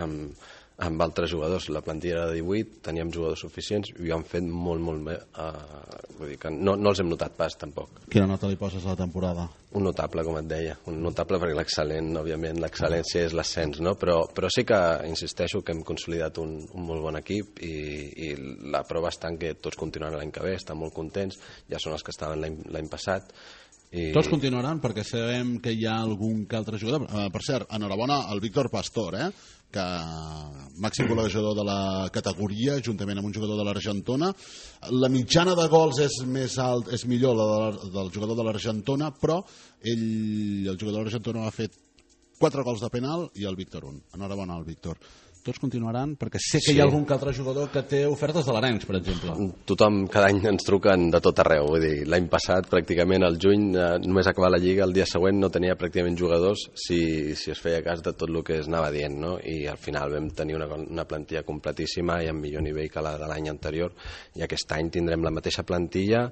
Speaker 7: amb altres jugadors. La plantilla era de 18, teníem jugadors suficients i ho han fet molt bé. Vull dir que no els hem notat pas, tampoc.
Speaker 1: Quina nota li poses a la temporada?
Speaker 7: Un notable, com et deia. Un notable perquè l'excel·lent, òbviament, l'excel·lència és l'ascens, no? Però sí que, insisteixo, que hem consolidat un molt bon equip i la prova està en que tots continuaran l'any que ve, estan molt contents, ja són els que estaven l'any passat.
Speaker 1: Tots continuaran perquè sabem que hi ha algun que altre jugador. Per cert, enhorabona al Víctor Pastor, que màxim golejador de la categoria, juntament amb un jugador de l'Argentona. La mitjana de gols és millor la del jugador de l'Argentona, però el jugador de l'Argentona ha fet 4 gols de penal i el Víctor 1. Enhorabona al Víctor. Tots continuaran, perquè sé que hi ha algun que altre jugador que té ofertes de l'Arenys, per exemple.
Speaker 7: Tothom, cada any ens truquen de tot arreu. Vull dir, l'any passat, pràcticament al juny, només acabar la Lliga, el dia següent no tenia pràcticament jugadors si es feia cas de tot el que es anava dient, no? I al final vam tenir una plantilla completíssima i amb millor nivell que la de l'any anterior, i aquest any tindrem la mateixa plantilla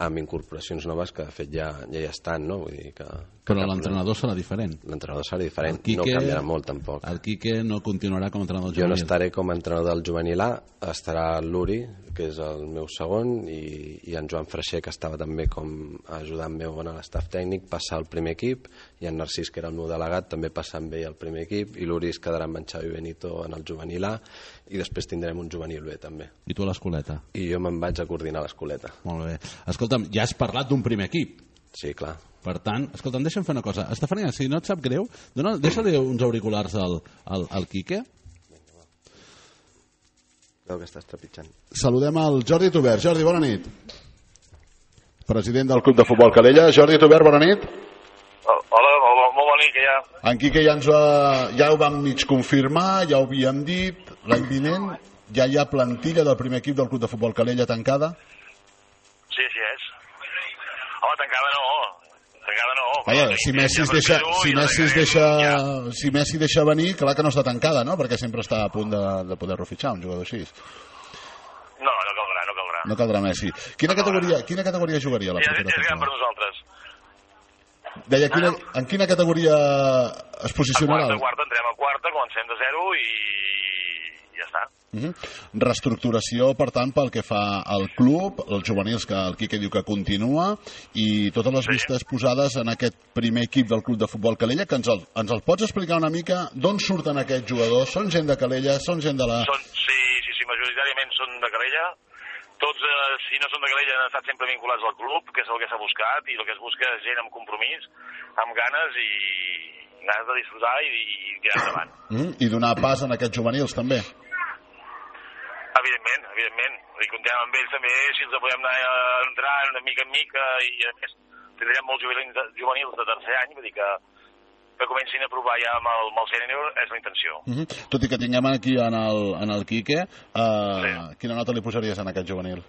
Speaker 7: amb incorporacions noves que de fet ja hi estan, no? Vull dir que
Speaker 1: però l'entrenador serà diferent.
Speaker 7: L'entrenador serà diferent, no canviarà molt tampoc.
Speaker 1: El Quique no continuarà com a entrenador
Speaker 7: juvenil. Jo no estaré com a entrenador del juvenil A, estarà l'Uri, que és el meu segon, i en Joan Freixer, que estava també com ajudant meu en l'estaf tècnic, passar al primer equip, i en Narcís, que era el meu delegat, també passar amb ell al primer equip, i l'Uri es quedarà amb en Xavi Benito en el juvenil A, i després tindrem un juvenil B també.
Speaker 1: I tu a l'escoleta?
Speaker 7: I jo me'n vaig a coordinar l'escoleta.
Speaker 1: Molt bé. Escolta'm, ja has parlat d'un primer equip.
Speaker 7: Sí, clar.
Speaker 1: Per tant, escolta'm, deixa'm fer una cosa. Estefania, si no et sap greu, deixa-li uns auriculars al Quique.
Speaker 7: Creu que estàs trepitjant.
Speaker 1: Saludem al Jordi Tubert. Jordi, bona nit. President del Club de Futbol Calella. Jordi Tubert, bona nit.
Speaker 8: Hola, molt bona nit, que ja.
Speaker 1: En Quique ja ho vam mig confirmar, ja ho havíem dit, l'any vinent ja hi ha plantilla del primer equip del Club de Futbol Calella tancada?
Speaker 8: Sí, així és. Home, tancada no.
Speaker 1: Vaja, si Messi deixa venir, clar que no està tancada, no? Perquè sempre està a punt de poder-lo fitxar, un jugador així.
Speaker 8: No caldrà.
Speaker 1: No caldrà Messi. Quina categoria jugaria la propera temporada?
Speaker 8: És gran per nosaltres.
Speaker 1: Deia, en quina categoria es posicionarà?
Speaker 8: A quarta, entrem a quarta, comencem de 0 i ja està.
Speaker 1: Reestructuració, per tant, pel que fa al club, els juvenils, que el Quique diu que continua, i totes les vistes posades en aquest primer equip del Club de Futbol Calella, que ens el pots explicar una mica d'on surten aquests jugadors? Són gent de Calella? Són gent de la...
Speaker 8: Sí, majoritàriament són de Calella. Tots, si no són de Calella, han estat sempre vinculats al club, que és el que s'ha buscat, i el que es busca és gent amb compromís, amb ganes de disfrutar i tirar endavant.
Speaker 1: I donar pas en aquests juvenils, també?
Speaker 8: Evidentment. I comptem amb ells també, si els podem anar entrant de mica en mica, i a més tindrem molts juvenils de tercer any, vull dir que comencin a provar ja amb el sènior, és la intenció.
Speaker 1: Tot i que tinguem aquí en el Quique, quina nota li posaries en aquest juvenil?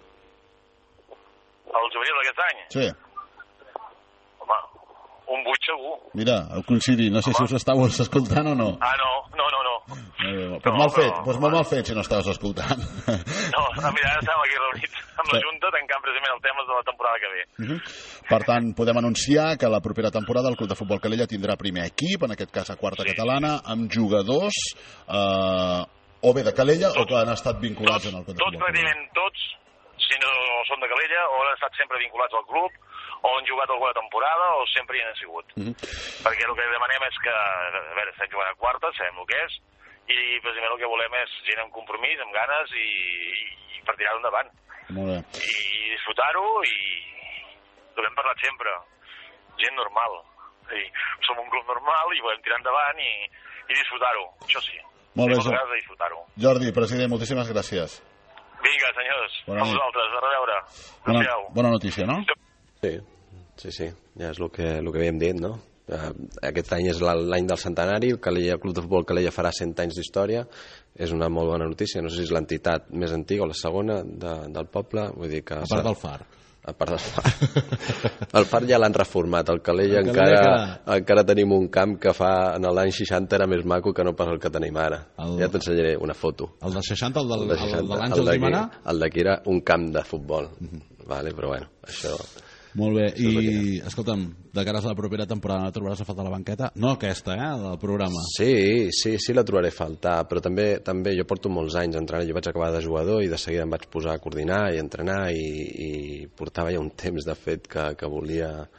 Speaker 8: El juvenil d'aquest any?
Speaker 1: Sí.
Speaker 8: Home, un 8 segur.
Speaker 1: Mira, coincidir, no sé si us estàveu escoltant o no.
Speaker 8: No.
Speaker 1: Pues molt mal fet si no estaves escoltant.
Speaker 8: No, mira, ara estem aquí reunits amb la Junta tancant precisament el tema de la temporada que ve.
Speaker 1: Per tant, podem anunciar que la propera temporada el Club de Futbol Calella tindrà primer equip, en aquest cas a quarta catalana, amb jugadors o bé de Calella o que han estat vinculats en el Club de Futbol Calella.
Speaker 8: Pràcticament tots, si no són de Calella, o han estat sempre vinculats al club, o han jugat alguna temporada, o sempre hi han sigut. Perquè el que demanem és que, a veure, estem jugant a quarta, sabem el que és, i precisament el que volem és gent amb compromís, amb ganes i per tirar-ho endavant.
Speaker 1: Molt bé.
Speaker 8: I disfrutar-ho i ho hem parlat sempre. Gent normal. Som un club normal i volem tirar endavant i disfrutar-ho. Això sí.
Speaker 1: Molt bé, Jordi, president, moltíssimes gràcies.
Speaker 8: Vinga, senyors, a vosaltres, a reveure.
Speaker 1: Bona notícia, no?
Speaker 7: Sí, ja és el que havíem dit, no? Aquest any és l'any del centenari, el Club de Futbol Calella farà 100 anys d'història, és una molt bona notícia, no sé si és l'entitat més antiga o la segona del poble, vull dir que...
Speaker 1: A part del Far.
Speaker 7: A part del Far. El Far ja l'han reformat, el Calella encara tenim un camp que en l'any 60 era més maco que no pas el que tenim ara. Ja t'ensenyaré una foto.
Speaker 1: El de 60, el de l'Àngel Guimarà?
Speaker 7: El d'aquí era un camp de futbol, però bueno, això...
Speaker 1: Molt bé, i escolta'm, de cara a la propera temporada no trobaràs a faltar la banqueta? No aquesta, del programa.
Speaker 7: Sí, la trobaré a faltar, però també jo porto molts anys entrenant, jo vaig acabar de jugador i de seguida em vaig posar a coordinar i entrenar i portava ja un temps de fet que volia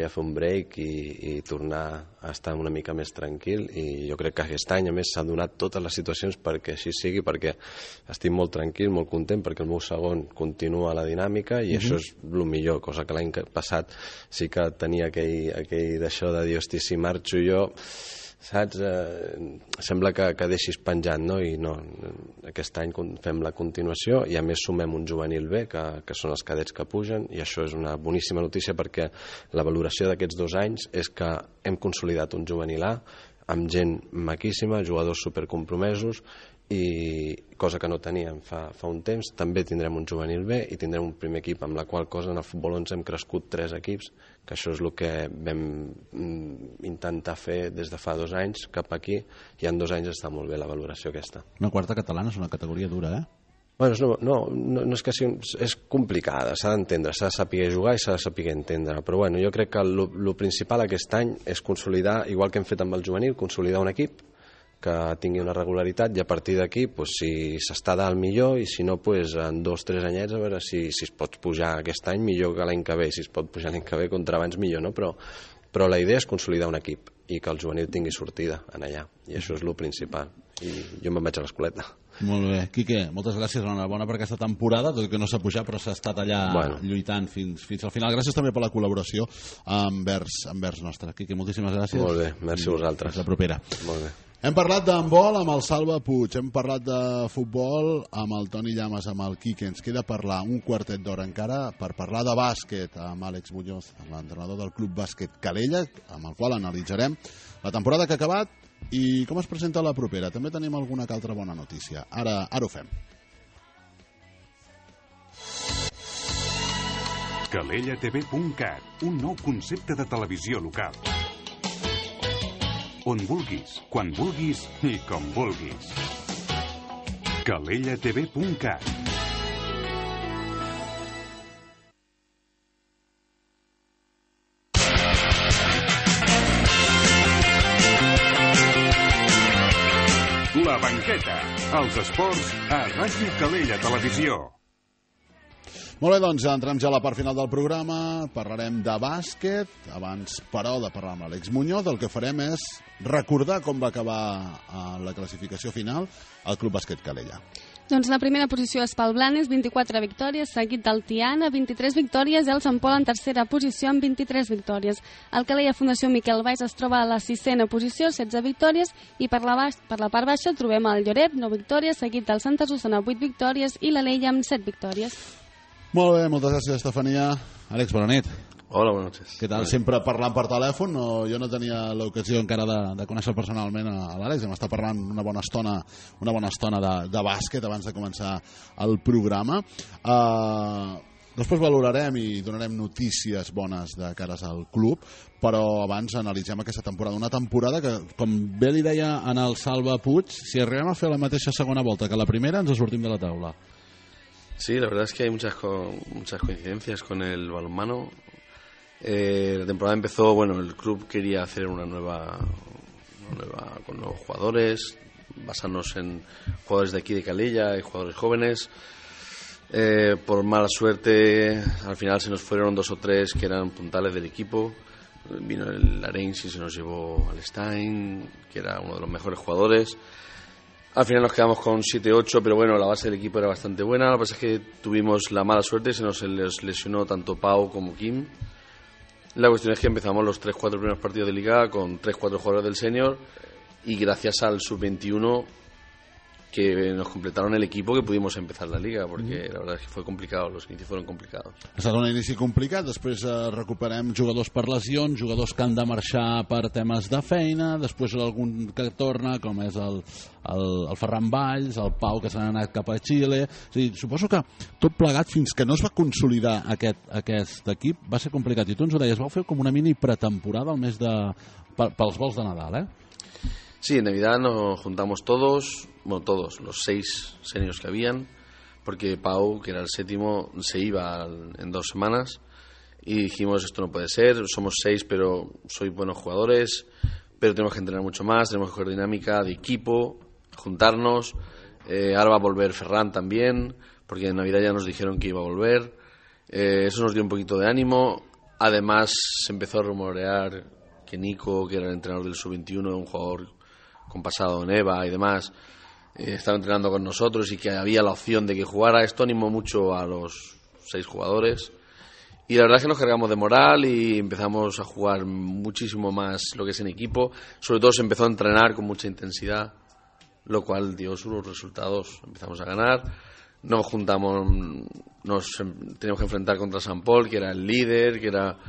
Speaker 7: fer un break i tornar a estar una mica més tranquil, i jo crec que aquest any a més s'han donat totes les situacions perquè així sigui, perquè estic molt tranquil, molt content, perquè el meu segon continua la dinàmica i això és el millor, cosa que l'any passat sí que tenia aquell d'això de dir, hosti, si marxo jo, saps? Sembla que deixis penjant, no? I no, aquest any fem la continuació i a més sumem un juvenil B, que són els cadets que pugen, i això és una boníssima notícia perquè la valoració d'aquests 2 anys és que hem consolidat un juvenil A amb gent maquíssima, jugadors supercompromesos, i cosa que no teníem fa un temps. També tindrem un juvenil B i tindrem un primer equip, amb la qual cosa en el futbol 11 hem crescut 3 equips, que això és el que vam intentar fer des de fa 2 anys cap aquí, i en 2 anys està molt bé la valoració aquesta.
Speaker 1: Una quarta catalana és una categoria dura,
Speaker 7: Bueno, no és que és complicada, s'ha d'entendre, s'ha de saber jugar i s'ha de saber entendre, però bueno, jo crec que el principal aquest any és consolidar, igual que hem fet amb el juvenil, consolidar un equip que tingui una regularitat, i a partir d'aquí, si s'està dalt millor, i si no, en 2 o 3 anyets a veure si es pot pujar aquest any millor que l'any que ve, si es pot pujar l'any que ve contra abans millor, no? Però la idea és consolidar un equip i que el juvenil tingui sortida en allà, i això és el principal, i jo me'n vaig a l'escoleta.
Speaker 1: Molt bé. Quique, moltes gràcies, enhorabona per aquesta temporada, tot i que no s'ha pujat, però s'ha estat allà lluitant fins al final. Gràcies també per la col·laboració envers nostra. Quique, moltíssimes gràcies.
Speaker 7: Molt bé, merci a vosaltres.
Speaker 1: Fins la propera.
Speaker 7: Molt bé.
Speaker 1: Hem parlat d'handbol amb el Salva Puig, hem parlat de futbol amb el Toni Llamas, amb el Quique. Ens queda parlar un quartet d'hora encara per parlar de bàsquet amb Àlex Muñoz, l'entrenador del Club Bàsquet Calella, amb el qual analitzarem la temporada que ha acabat i com es presenta la propera. També tenim alguna altra bona notícia. Ara ho fem.
Speaker 5: CalellaTV.cat, un nou concepte de televisió local. On vulguis, quan vulguis i com vulguis. CalellaTV.cat. La banqueta, els esports a Ràdio Calella Televisió.
Speaker 1: Molt bé, doncs entrem ja a la part final del programa, parlarem de bàsquet, abans però de parlar amb l'Àlex Muñoz, el que farem és recordar com va acabar la classificació final al Club Bàsquet Calella.
Speaker 2: Doncs la primera posició és pel Blanes, 24 victòries, seguit del Tiana, 23 victòries, i el Sant Pol en tercera posició amb 23 victòries. El Calella Fundació Miquel Valls es troba a la 6a posició, 16 victòries, i per la part baixa trobem el Lloret, 9 victòries, seguit del Santa Susana, 8 victòries, i l'Alella amb 7 victòries.
Speaker 1: Molt bé, moltes gràcies, Estefania. Àlex, bona nit.
Speaker 9: Hola, buenas noches.
Speaker 1: Què tal? Sempre parlant per telèfon, jo no tenia l'ocasió encara de conèixer personalment a l'Àlex, hem estat parlant una bona estona de bàsquet abans de començar el programa. Després valorarem i donarem notícies bones de cares al club, però abans analitzem aquesta temporada. Una temporada que, com bé li deia en el Salva Puig, si arribem a fer la mateixa segona volta que la primera, ens sortim de la taula.
Speaker 9: Sí, la verdad es que hay muchas coincidencias con el balonmano. La temporada empezó, el club quería hacer una nueva con nuevos jugadores, basarnos en jugadores de aquí de Calella y jugadores jóvenes. Por mala suerte, al final se nos fueron 2 o 3 que eran puntales del equipo. Vino el Arenys y se nos llevó al Stein, que era uno de los mejores jugadores. Al final nos quedamos con 7-8, pero la base del equipo era bastante buena. Lo que pasa es que tuvimos la mala suerte, se nos lesionó tanto Pau como Kim. La cuestión es que empezamos los 3-4 primeros partidos de liga con 3-4 jugadores del senior, y gracias al sub-21 que nos completaron el equipo que pudimos empezar la liga, porque la verdad es que fue complicado, los inicios fueron complicados.
Speaker 1: Ha estat un inici complicat, després recuperem jugadors per lesions, jugadors que han de marxar per temes de feina, després algun que torna, com és el Ferran Valls, el Pau, que s'han anat cap a Xile. És a dir, suposo que tot plegat, fins que no es va consolidar aquest equip, va ser complicat. I tu ens ho deies, vau fer com una mini pretemporada al mes pels vols de Nadal,
Speaker 9: Sí, en Navidad nos juntamos todos, los 6 seniors que habían, porque Pau, que era el 7º, se iba en 2 semanas, y dijimos, esto no puede ser, somos 6, pero sois buenos jugadores, pero tenemos que entrenar mucho más, tenemos que coger dinámica de equipo, juntarnos. Ahora va a volver Ferran también, porque en Navidad ya nos dijeron que iba a volver. Eso nos dio un poquito de ánimo. Además, se empezó a rumorear que Nico, que era el entrenador del sub-21, un jugador con pasado en EVA y demás, estaba entrenando con nosotros y que había la opción de que jugara. Esto animó mucho a los 6 jugadores, y la verdad es que nos cargamos de moral y empezamos a jugar muchísimo más lo que es en equipo. Sobre todo se empezó a entrenar con mucha intensidad, lo cual dio sus resultados. Empezamos a ganar, nos juntamos, teníamos que enfrentar contra San Pol, que era el líder, que era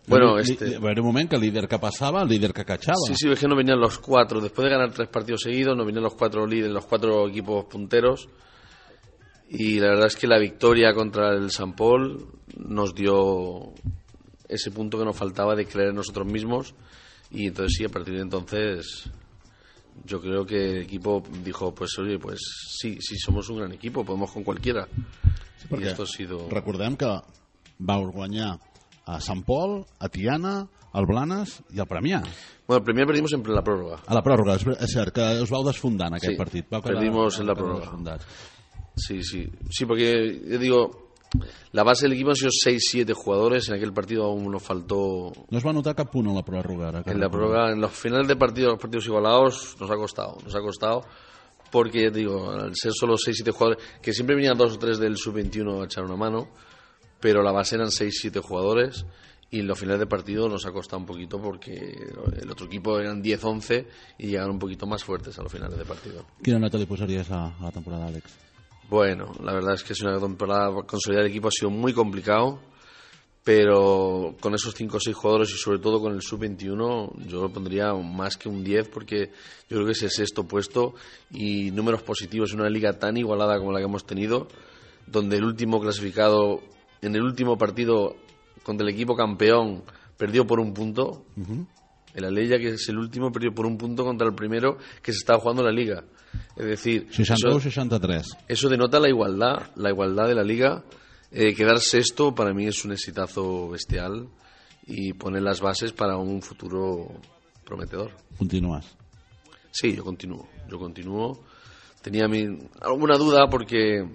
Speaker 9: Bueno,
Speaker 1: Era un moment que el líder que passava, el líder que cachava.
Speaker 9: Sí, es que no venían los 4. Después de ganar 3 partidos seguidos, no venían los 4 líderes, los 4 equipos punteros. Y la verdad es que la victoria contra el Sant Pol nos dio ese punto que nos faltaba de creer en nosotros mismos. Y entonces sí, a partir de entonces yo creo que el equipo dijo, pues oye, pues sí, somos un gran equipo, podemos con cualquiera.
Speaker 1: Sí, perquè
Speaker 9: I esto ha sido...
Speaker 1: recordem que vau guanyar a Sant Pol, a Tiana, al Blanes i al Premià.
Speaker 9: Bueno, el Premià perdimos en la pròrroga.
Speaker 1: A la pròrroga, és cert, que us vau desfondar en aquest partit.
Speaker 9: Perdimos en la pròrroga. Sí, porque yo digo, la base del equipo han sido 6-7 jugadores. En aquel partido aún nos faltó.
Speaker 1: No es va notar cap punt en la pròrroga.
Speaker 9: En la pròrroga, en los finales de partido, los partidos igualados, nos ha costado. Porque ya te digo, al ser solo 6-7 jugadores, que siempre venían 2 o 3 del sub-21 a echar una mano, pero la base eran 6-7 jugadores. Y en los finales de partido nos ha costado un poquito porque el otro equipo eran 10-11 y llegaron un poquito más fuertes a los finales de partido.
Speaker 1: Quina nota li posaries a la temporada, Àlex?
Speaker 9: Bueno, la verdad es que es una temporada, consolidar el equipo ha sido muy complicado, pero con esos 5 o 6 jugadores y sobre todo con el sub-21 yo lo pondría más que un 10 porque yo creo que es el 6º puesto y números positivos en una liga tan igualada como la que hemos tenido, donde el último clasificado en el último partido contra el equipo campeón perdió por 1 punto. El Alella, que es el último, perdió por 1 punto contra el primero que se estaba jugando en la liga. Es decir,
Speaker 1: 62-63.
Speaker 9: Eso denota la igualdad de la liga. Quedar sexto para mí es un exitazo bestial y poner las bases para un futuro prometedor.
Speaker 1: ¿Continúas?
Speaker 9: Sí, yo continúo. Tenía alguna duda porque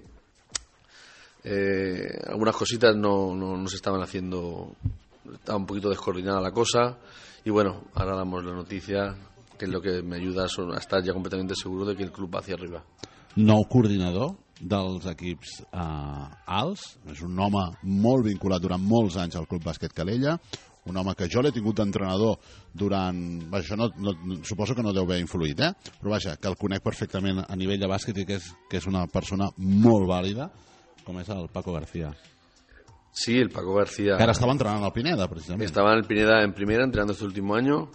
Speaker 9: algunas cositas no se estaban haciendo, estaba un poquito descoordinada la cosa. Y bueno, ahora damos la noticia, que es lo que me ayuda a estar ja completamente seguro de que el club va hacia arriba.
Speaker 1: Nou coordinador dels equips alts, és un home molt vinculat durant molts anys al Club Bàsquet Calella, un home que jo l'he tingut d'entrenador durant... Vaja, suposo que no deu haver influït, però vaja, que el conec perfectament a nivell de bàsquet i que és una persona molt vàlida, com és el Paco García.
Speaker 9: Sí, el Paco García.
Speaker 1: Que ahora estaba entrenando al Pineda, precisamente.
Speaker 9: Estaba en el Pineda en primera, entrenando este último año.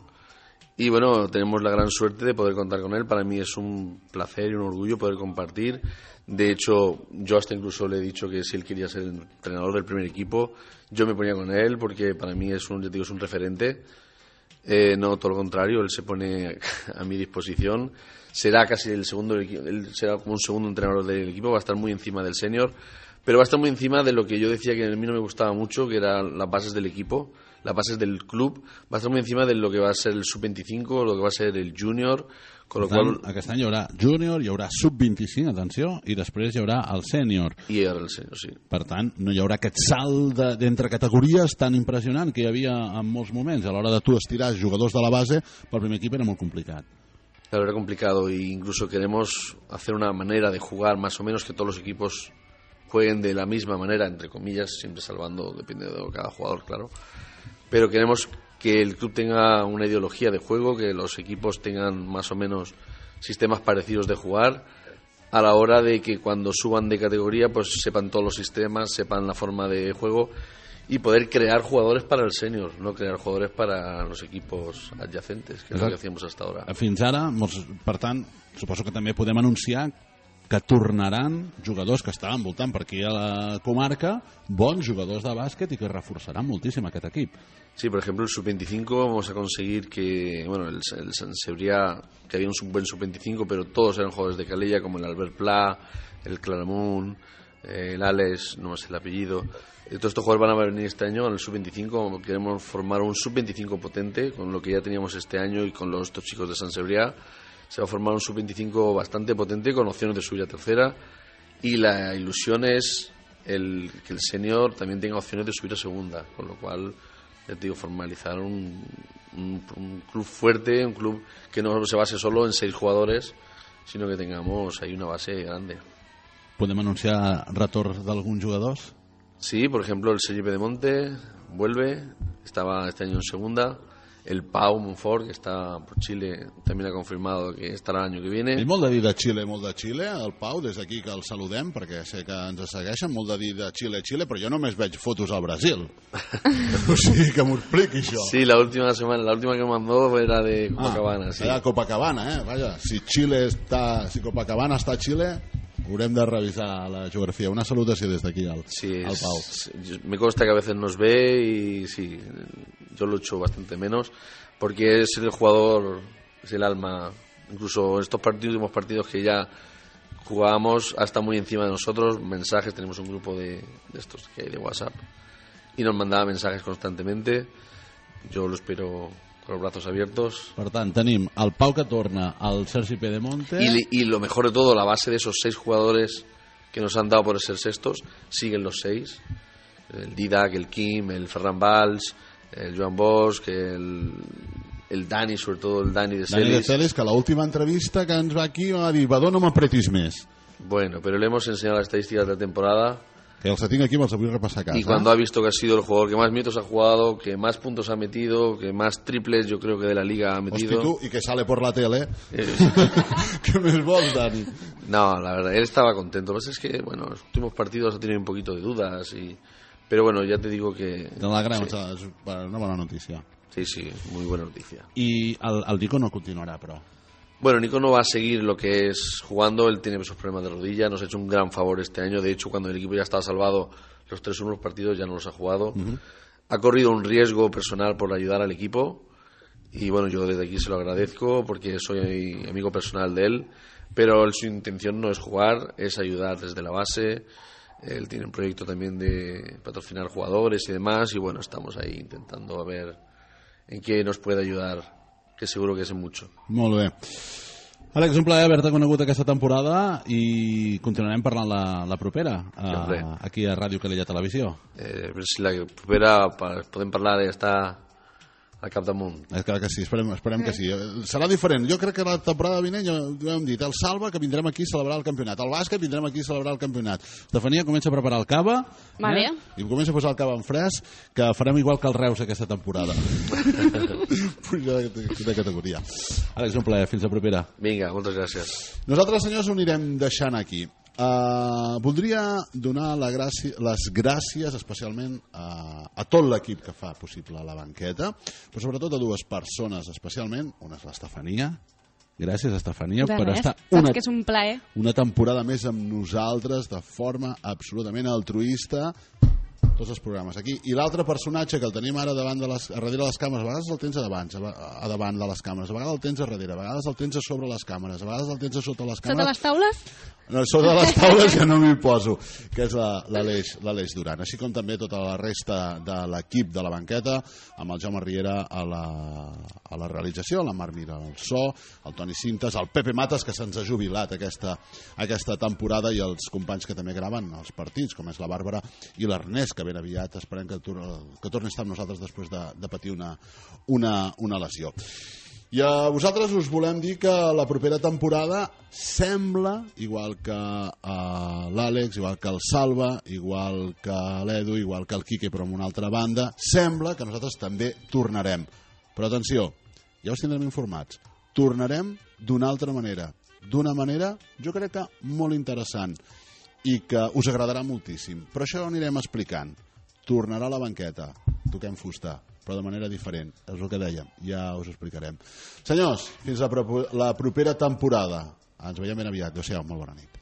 Speaker 9: Y bueno, tenemos la gran suerte de poder contar con él. Para mí es un placer y un orgullo poder compartir. De hecho, yo hasta incluso le he dicho que si él quería ser el entrenador del primer equipo, yo me ponía con él porque para mí es un referente. No, todo lo contrario, él se pone a mi disposición. Será casi el segundo, él será como un segundo entrenador del equipo, va a estar muy encima del senior. Pero va a estar muy encima de lo que yo decía que a mí no me gustaba mucho, que eran las bases del equipo, las bases del club. Va a estar muy encima de lo que va a ser el sub-25, lo que va a ser el júnior. Con lo qual...
Speaker 1: Aquest any hi haurà júnior, hi haurà sub-25, atenció, i després hi haurà el sènior.
Speaker 9: I hi haurà el sènior, sí.
Speaker 1: Per tant, no hi haurà aquest salt d'entre categories tan impressionant que hi havia en molts moments. A l'hora de tu estirar jugadors de la base, pel primer equip era molt complicat.
Speaker 9: Claro, era complicado e incluso queremos hacer una manera de jugar más o menos que todos los equipos jueguen de la misma manera, entre comillas, siempre salvando, depende de cada jugador, claro. Pero queremos que el club tenga una ideología de juego, que los equipos tengan más o menos sistemas parecidos de jugar, a la hora de que cuando suban de categoría pues sepan todos los sistemas, sepan la forma de juego y poder crear jugadores para el senior, no crear jugadores para los equipos adyacentes, que és el que hacíamos hasta ahora.
Speaker 1: Fins ara, per tant, suposo que també podem anunciar que tornaran jugadors que estaven voltant per aquí a la comarca, bons jugadors de bàsquet i que reforçaran moltíssim aquest equip.
Speaker 9: Sí, por ejemplo, el sub-25 vamos a conseguir que, bueno, el Sant Cebrià, que había un buen sub-25, pero todos eran jugadores de Calella, como el Albert Pla, el Claramunt, el Alex, no sé el apellido. Todos estos jugadores van a venir este año en el sub-25. Queremos formar un sub-25 potente, con lo que ya teníamos este año y con estos chicos de Sant Cebrià. Se va a formar un sub-25 bastante potente con opciones de subir a tercera y la ilusión es que el senior también tenga opciones de subir a segunda, con lo cual, ya te digo, formalizar un club fuerte, un club que no se base solo en 6 jugadores, sino que tengamos ahí una base grande.
Speaker 1: ¿Podem anunciar retorn d'alguns jugadors?
Speaker 9: Sí, por ejemplo el Sergi Pedemonte vuelve, estaba este año en segunda. el Pau Monfort, que está por Chile, también ha confirmado que estarà l'any que viene.
Speaker 1: I molt de dir de Xile, el Pau, des d'aquí que el saludem, perquè sé que ens segueixen, molt de dir de Xile, però jo només veig fotos al Brasil. O sigui, que m'ho expliqui això.
Speaker 9: Sí, la última que mandó era de Copacabana. Sí.
Speaker 1: Era Copacabana, Vaja, si Copacabana està a Xile, haurem de revisar la geografía. Una salutació des d'aquí al Pau.
Speaker 9: Me consta que a veces nos ve y sí, yo lo echo bastante menos porque es el jugador, es el alma. Incluso estos últimos partidos que ya jugábamos, hasta muy encima de nosotros, mensajes, tenemos un grupo de estos que hay de WhatsApp y nos mandaba mensajes constantemente. Yo lo espero con los brazos abiertos.
Speaker 1: Per tant, tenim el Pau que torna, el Sergi Pedemonte...
Speaker 9: Y lo mejor de todo, la base de esos 6 jugadores que nos han dado por ser sextos, siguen los 6. El Didac, el Kim, el Ferran Valls, el Joan Bosch, el Dani, sobre todo el Dani de Celis.
Speaker 1: Dani de Celis, que l'última entrevista que ens va aquí va dir, Badó, no m'apretis més.
Speaker 9: Bueno, pero le hemos enseñado las estadísticas de la temporada.
Speaker 1: Que els tinc aquí, me'ls vull repassar a casa.
Speaker 9: Y cuando ha visto que ha sido el jugador que más minutos ha jugado, que más puntos ha metido, que más triples yo creo que de la liga ha metido.
Speaker 1: Hosti, tú, y que sale por la tele. ¿Qué més vols, Dani?
Speaker 9: No, la verdad, él estaba contento. Lo que pasa es que, bueno, los últimos partidos ha tenido un poquito de dudas. Pero bueno, ya te digo que...
Speaker 1: Te l'alegrem, sí. És una bona notícia.
Speaker 9: Sí, muy buena noticia.
Speaker 1: Y el Nico no continuará, però...
Speaker 9: Bueno, Nico no va a seguir lo que es jugando, él tiene esos problemas de rodilla, nos ha hecho un gran favor este año, de hecho cuando el equipo ya estaba salvado, los 3 últimos partidos ya no los ha jugado. Ha corrido un riesgo personal por ayudar al equipo y bueno, yo desde aquí se lo agradezco porque soy amigo personal de él, pero su intención no es jugar, es ayudar desde la base. Él tiene un proyecto también de patrocinar jugadores y demás y bueno, estamos ahí intentando a ver en qué nos puede ayudar, que seguro que és mucho.
Speaker 1: Molt bé. Àlex, un plaer haver-te conegut aquesta temporada i continuarem parlant la propera aquí a Ràdio Calella Televisió.
Speaker 9: Si la propera podem parlar d'estar al capdamunt.
Speaker 1: Clar que sí, esperem que sí. Serà diferent. Jo crec que la temporada vinent, ja ho hem dit, el Salva, que vindrem aquí a celebrar el campionat. El Bàsquet, vindrem aquí a celebrar el campionat. Estefania comença a preparar el cava.
Speaker 2: Vale.
Speaker 1: I comença a posar el cava en fresc, que farem igual que el Reus aquesta temporada. Puja de categoria. Àlex, un plaer. Fins la propera.
Speaker 9: Vinga, moltes gràcies.
Speaker 1: Nosaltres, senyors, ho anirem deixant aquí. Voldria donar les gràcies especialment a tot l'equip que fa possible la banqueta, però sobretot a 2 persones especialment. Una és l'Estefania. Gràcies, Estefania, per estar
Speaker 2: que és un plaer.
Speaker 1: Una temporada més amb nosaltres de forma absolutament altruista, tots els programes aquí. I l'altre personatge que el tenim ara darrere les càmeres, a vegades el tens a davant de les càmeres, a vegades el tens a darrere, a vegades el tens a sobre les càmeres, a vegades el tens a sota les càmeres.
Speaker 2: Sota les taules?
Speaker 1: No, sota les taules ja no m'hi poso, que és l'Aleix Duran, així com també tota la resta de l'equip de la banqueta, amb el Jaume Riera a la realització, la Mar Mira al so, el Toni Cintas, el Pepe Matas, que se'ns ha jubilat aquesta temporada, i els companys que també graven els partits, com és la Bàrbara i l'Ernest, que ben aviat esperem que torni a estar amb nosaltres després de patir una lesió. I a vosaltres us volem dir que la propera temporada sembla, igual que l'Àlex, igual que el Salva, igual que l'Edu, igual que el Quique, però amb una altra banda, sembla que nosaltres també tornarem. Però atenció, ja us tindrem informats. Tornarem d'una altra manera. D'una manera, jo crec que molt interessant i que us agradarà moltíssim. Però això ho anirem explicant. Tornarà a la banqueta, toquem fusta, però de manera diferent. És el que dèiem, ja us ho explicarem. Senyors, fins la propera temporada. Ens veiem ben aviat. Adéu-siau, molt bona nit.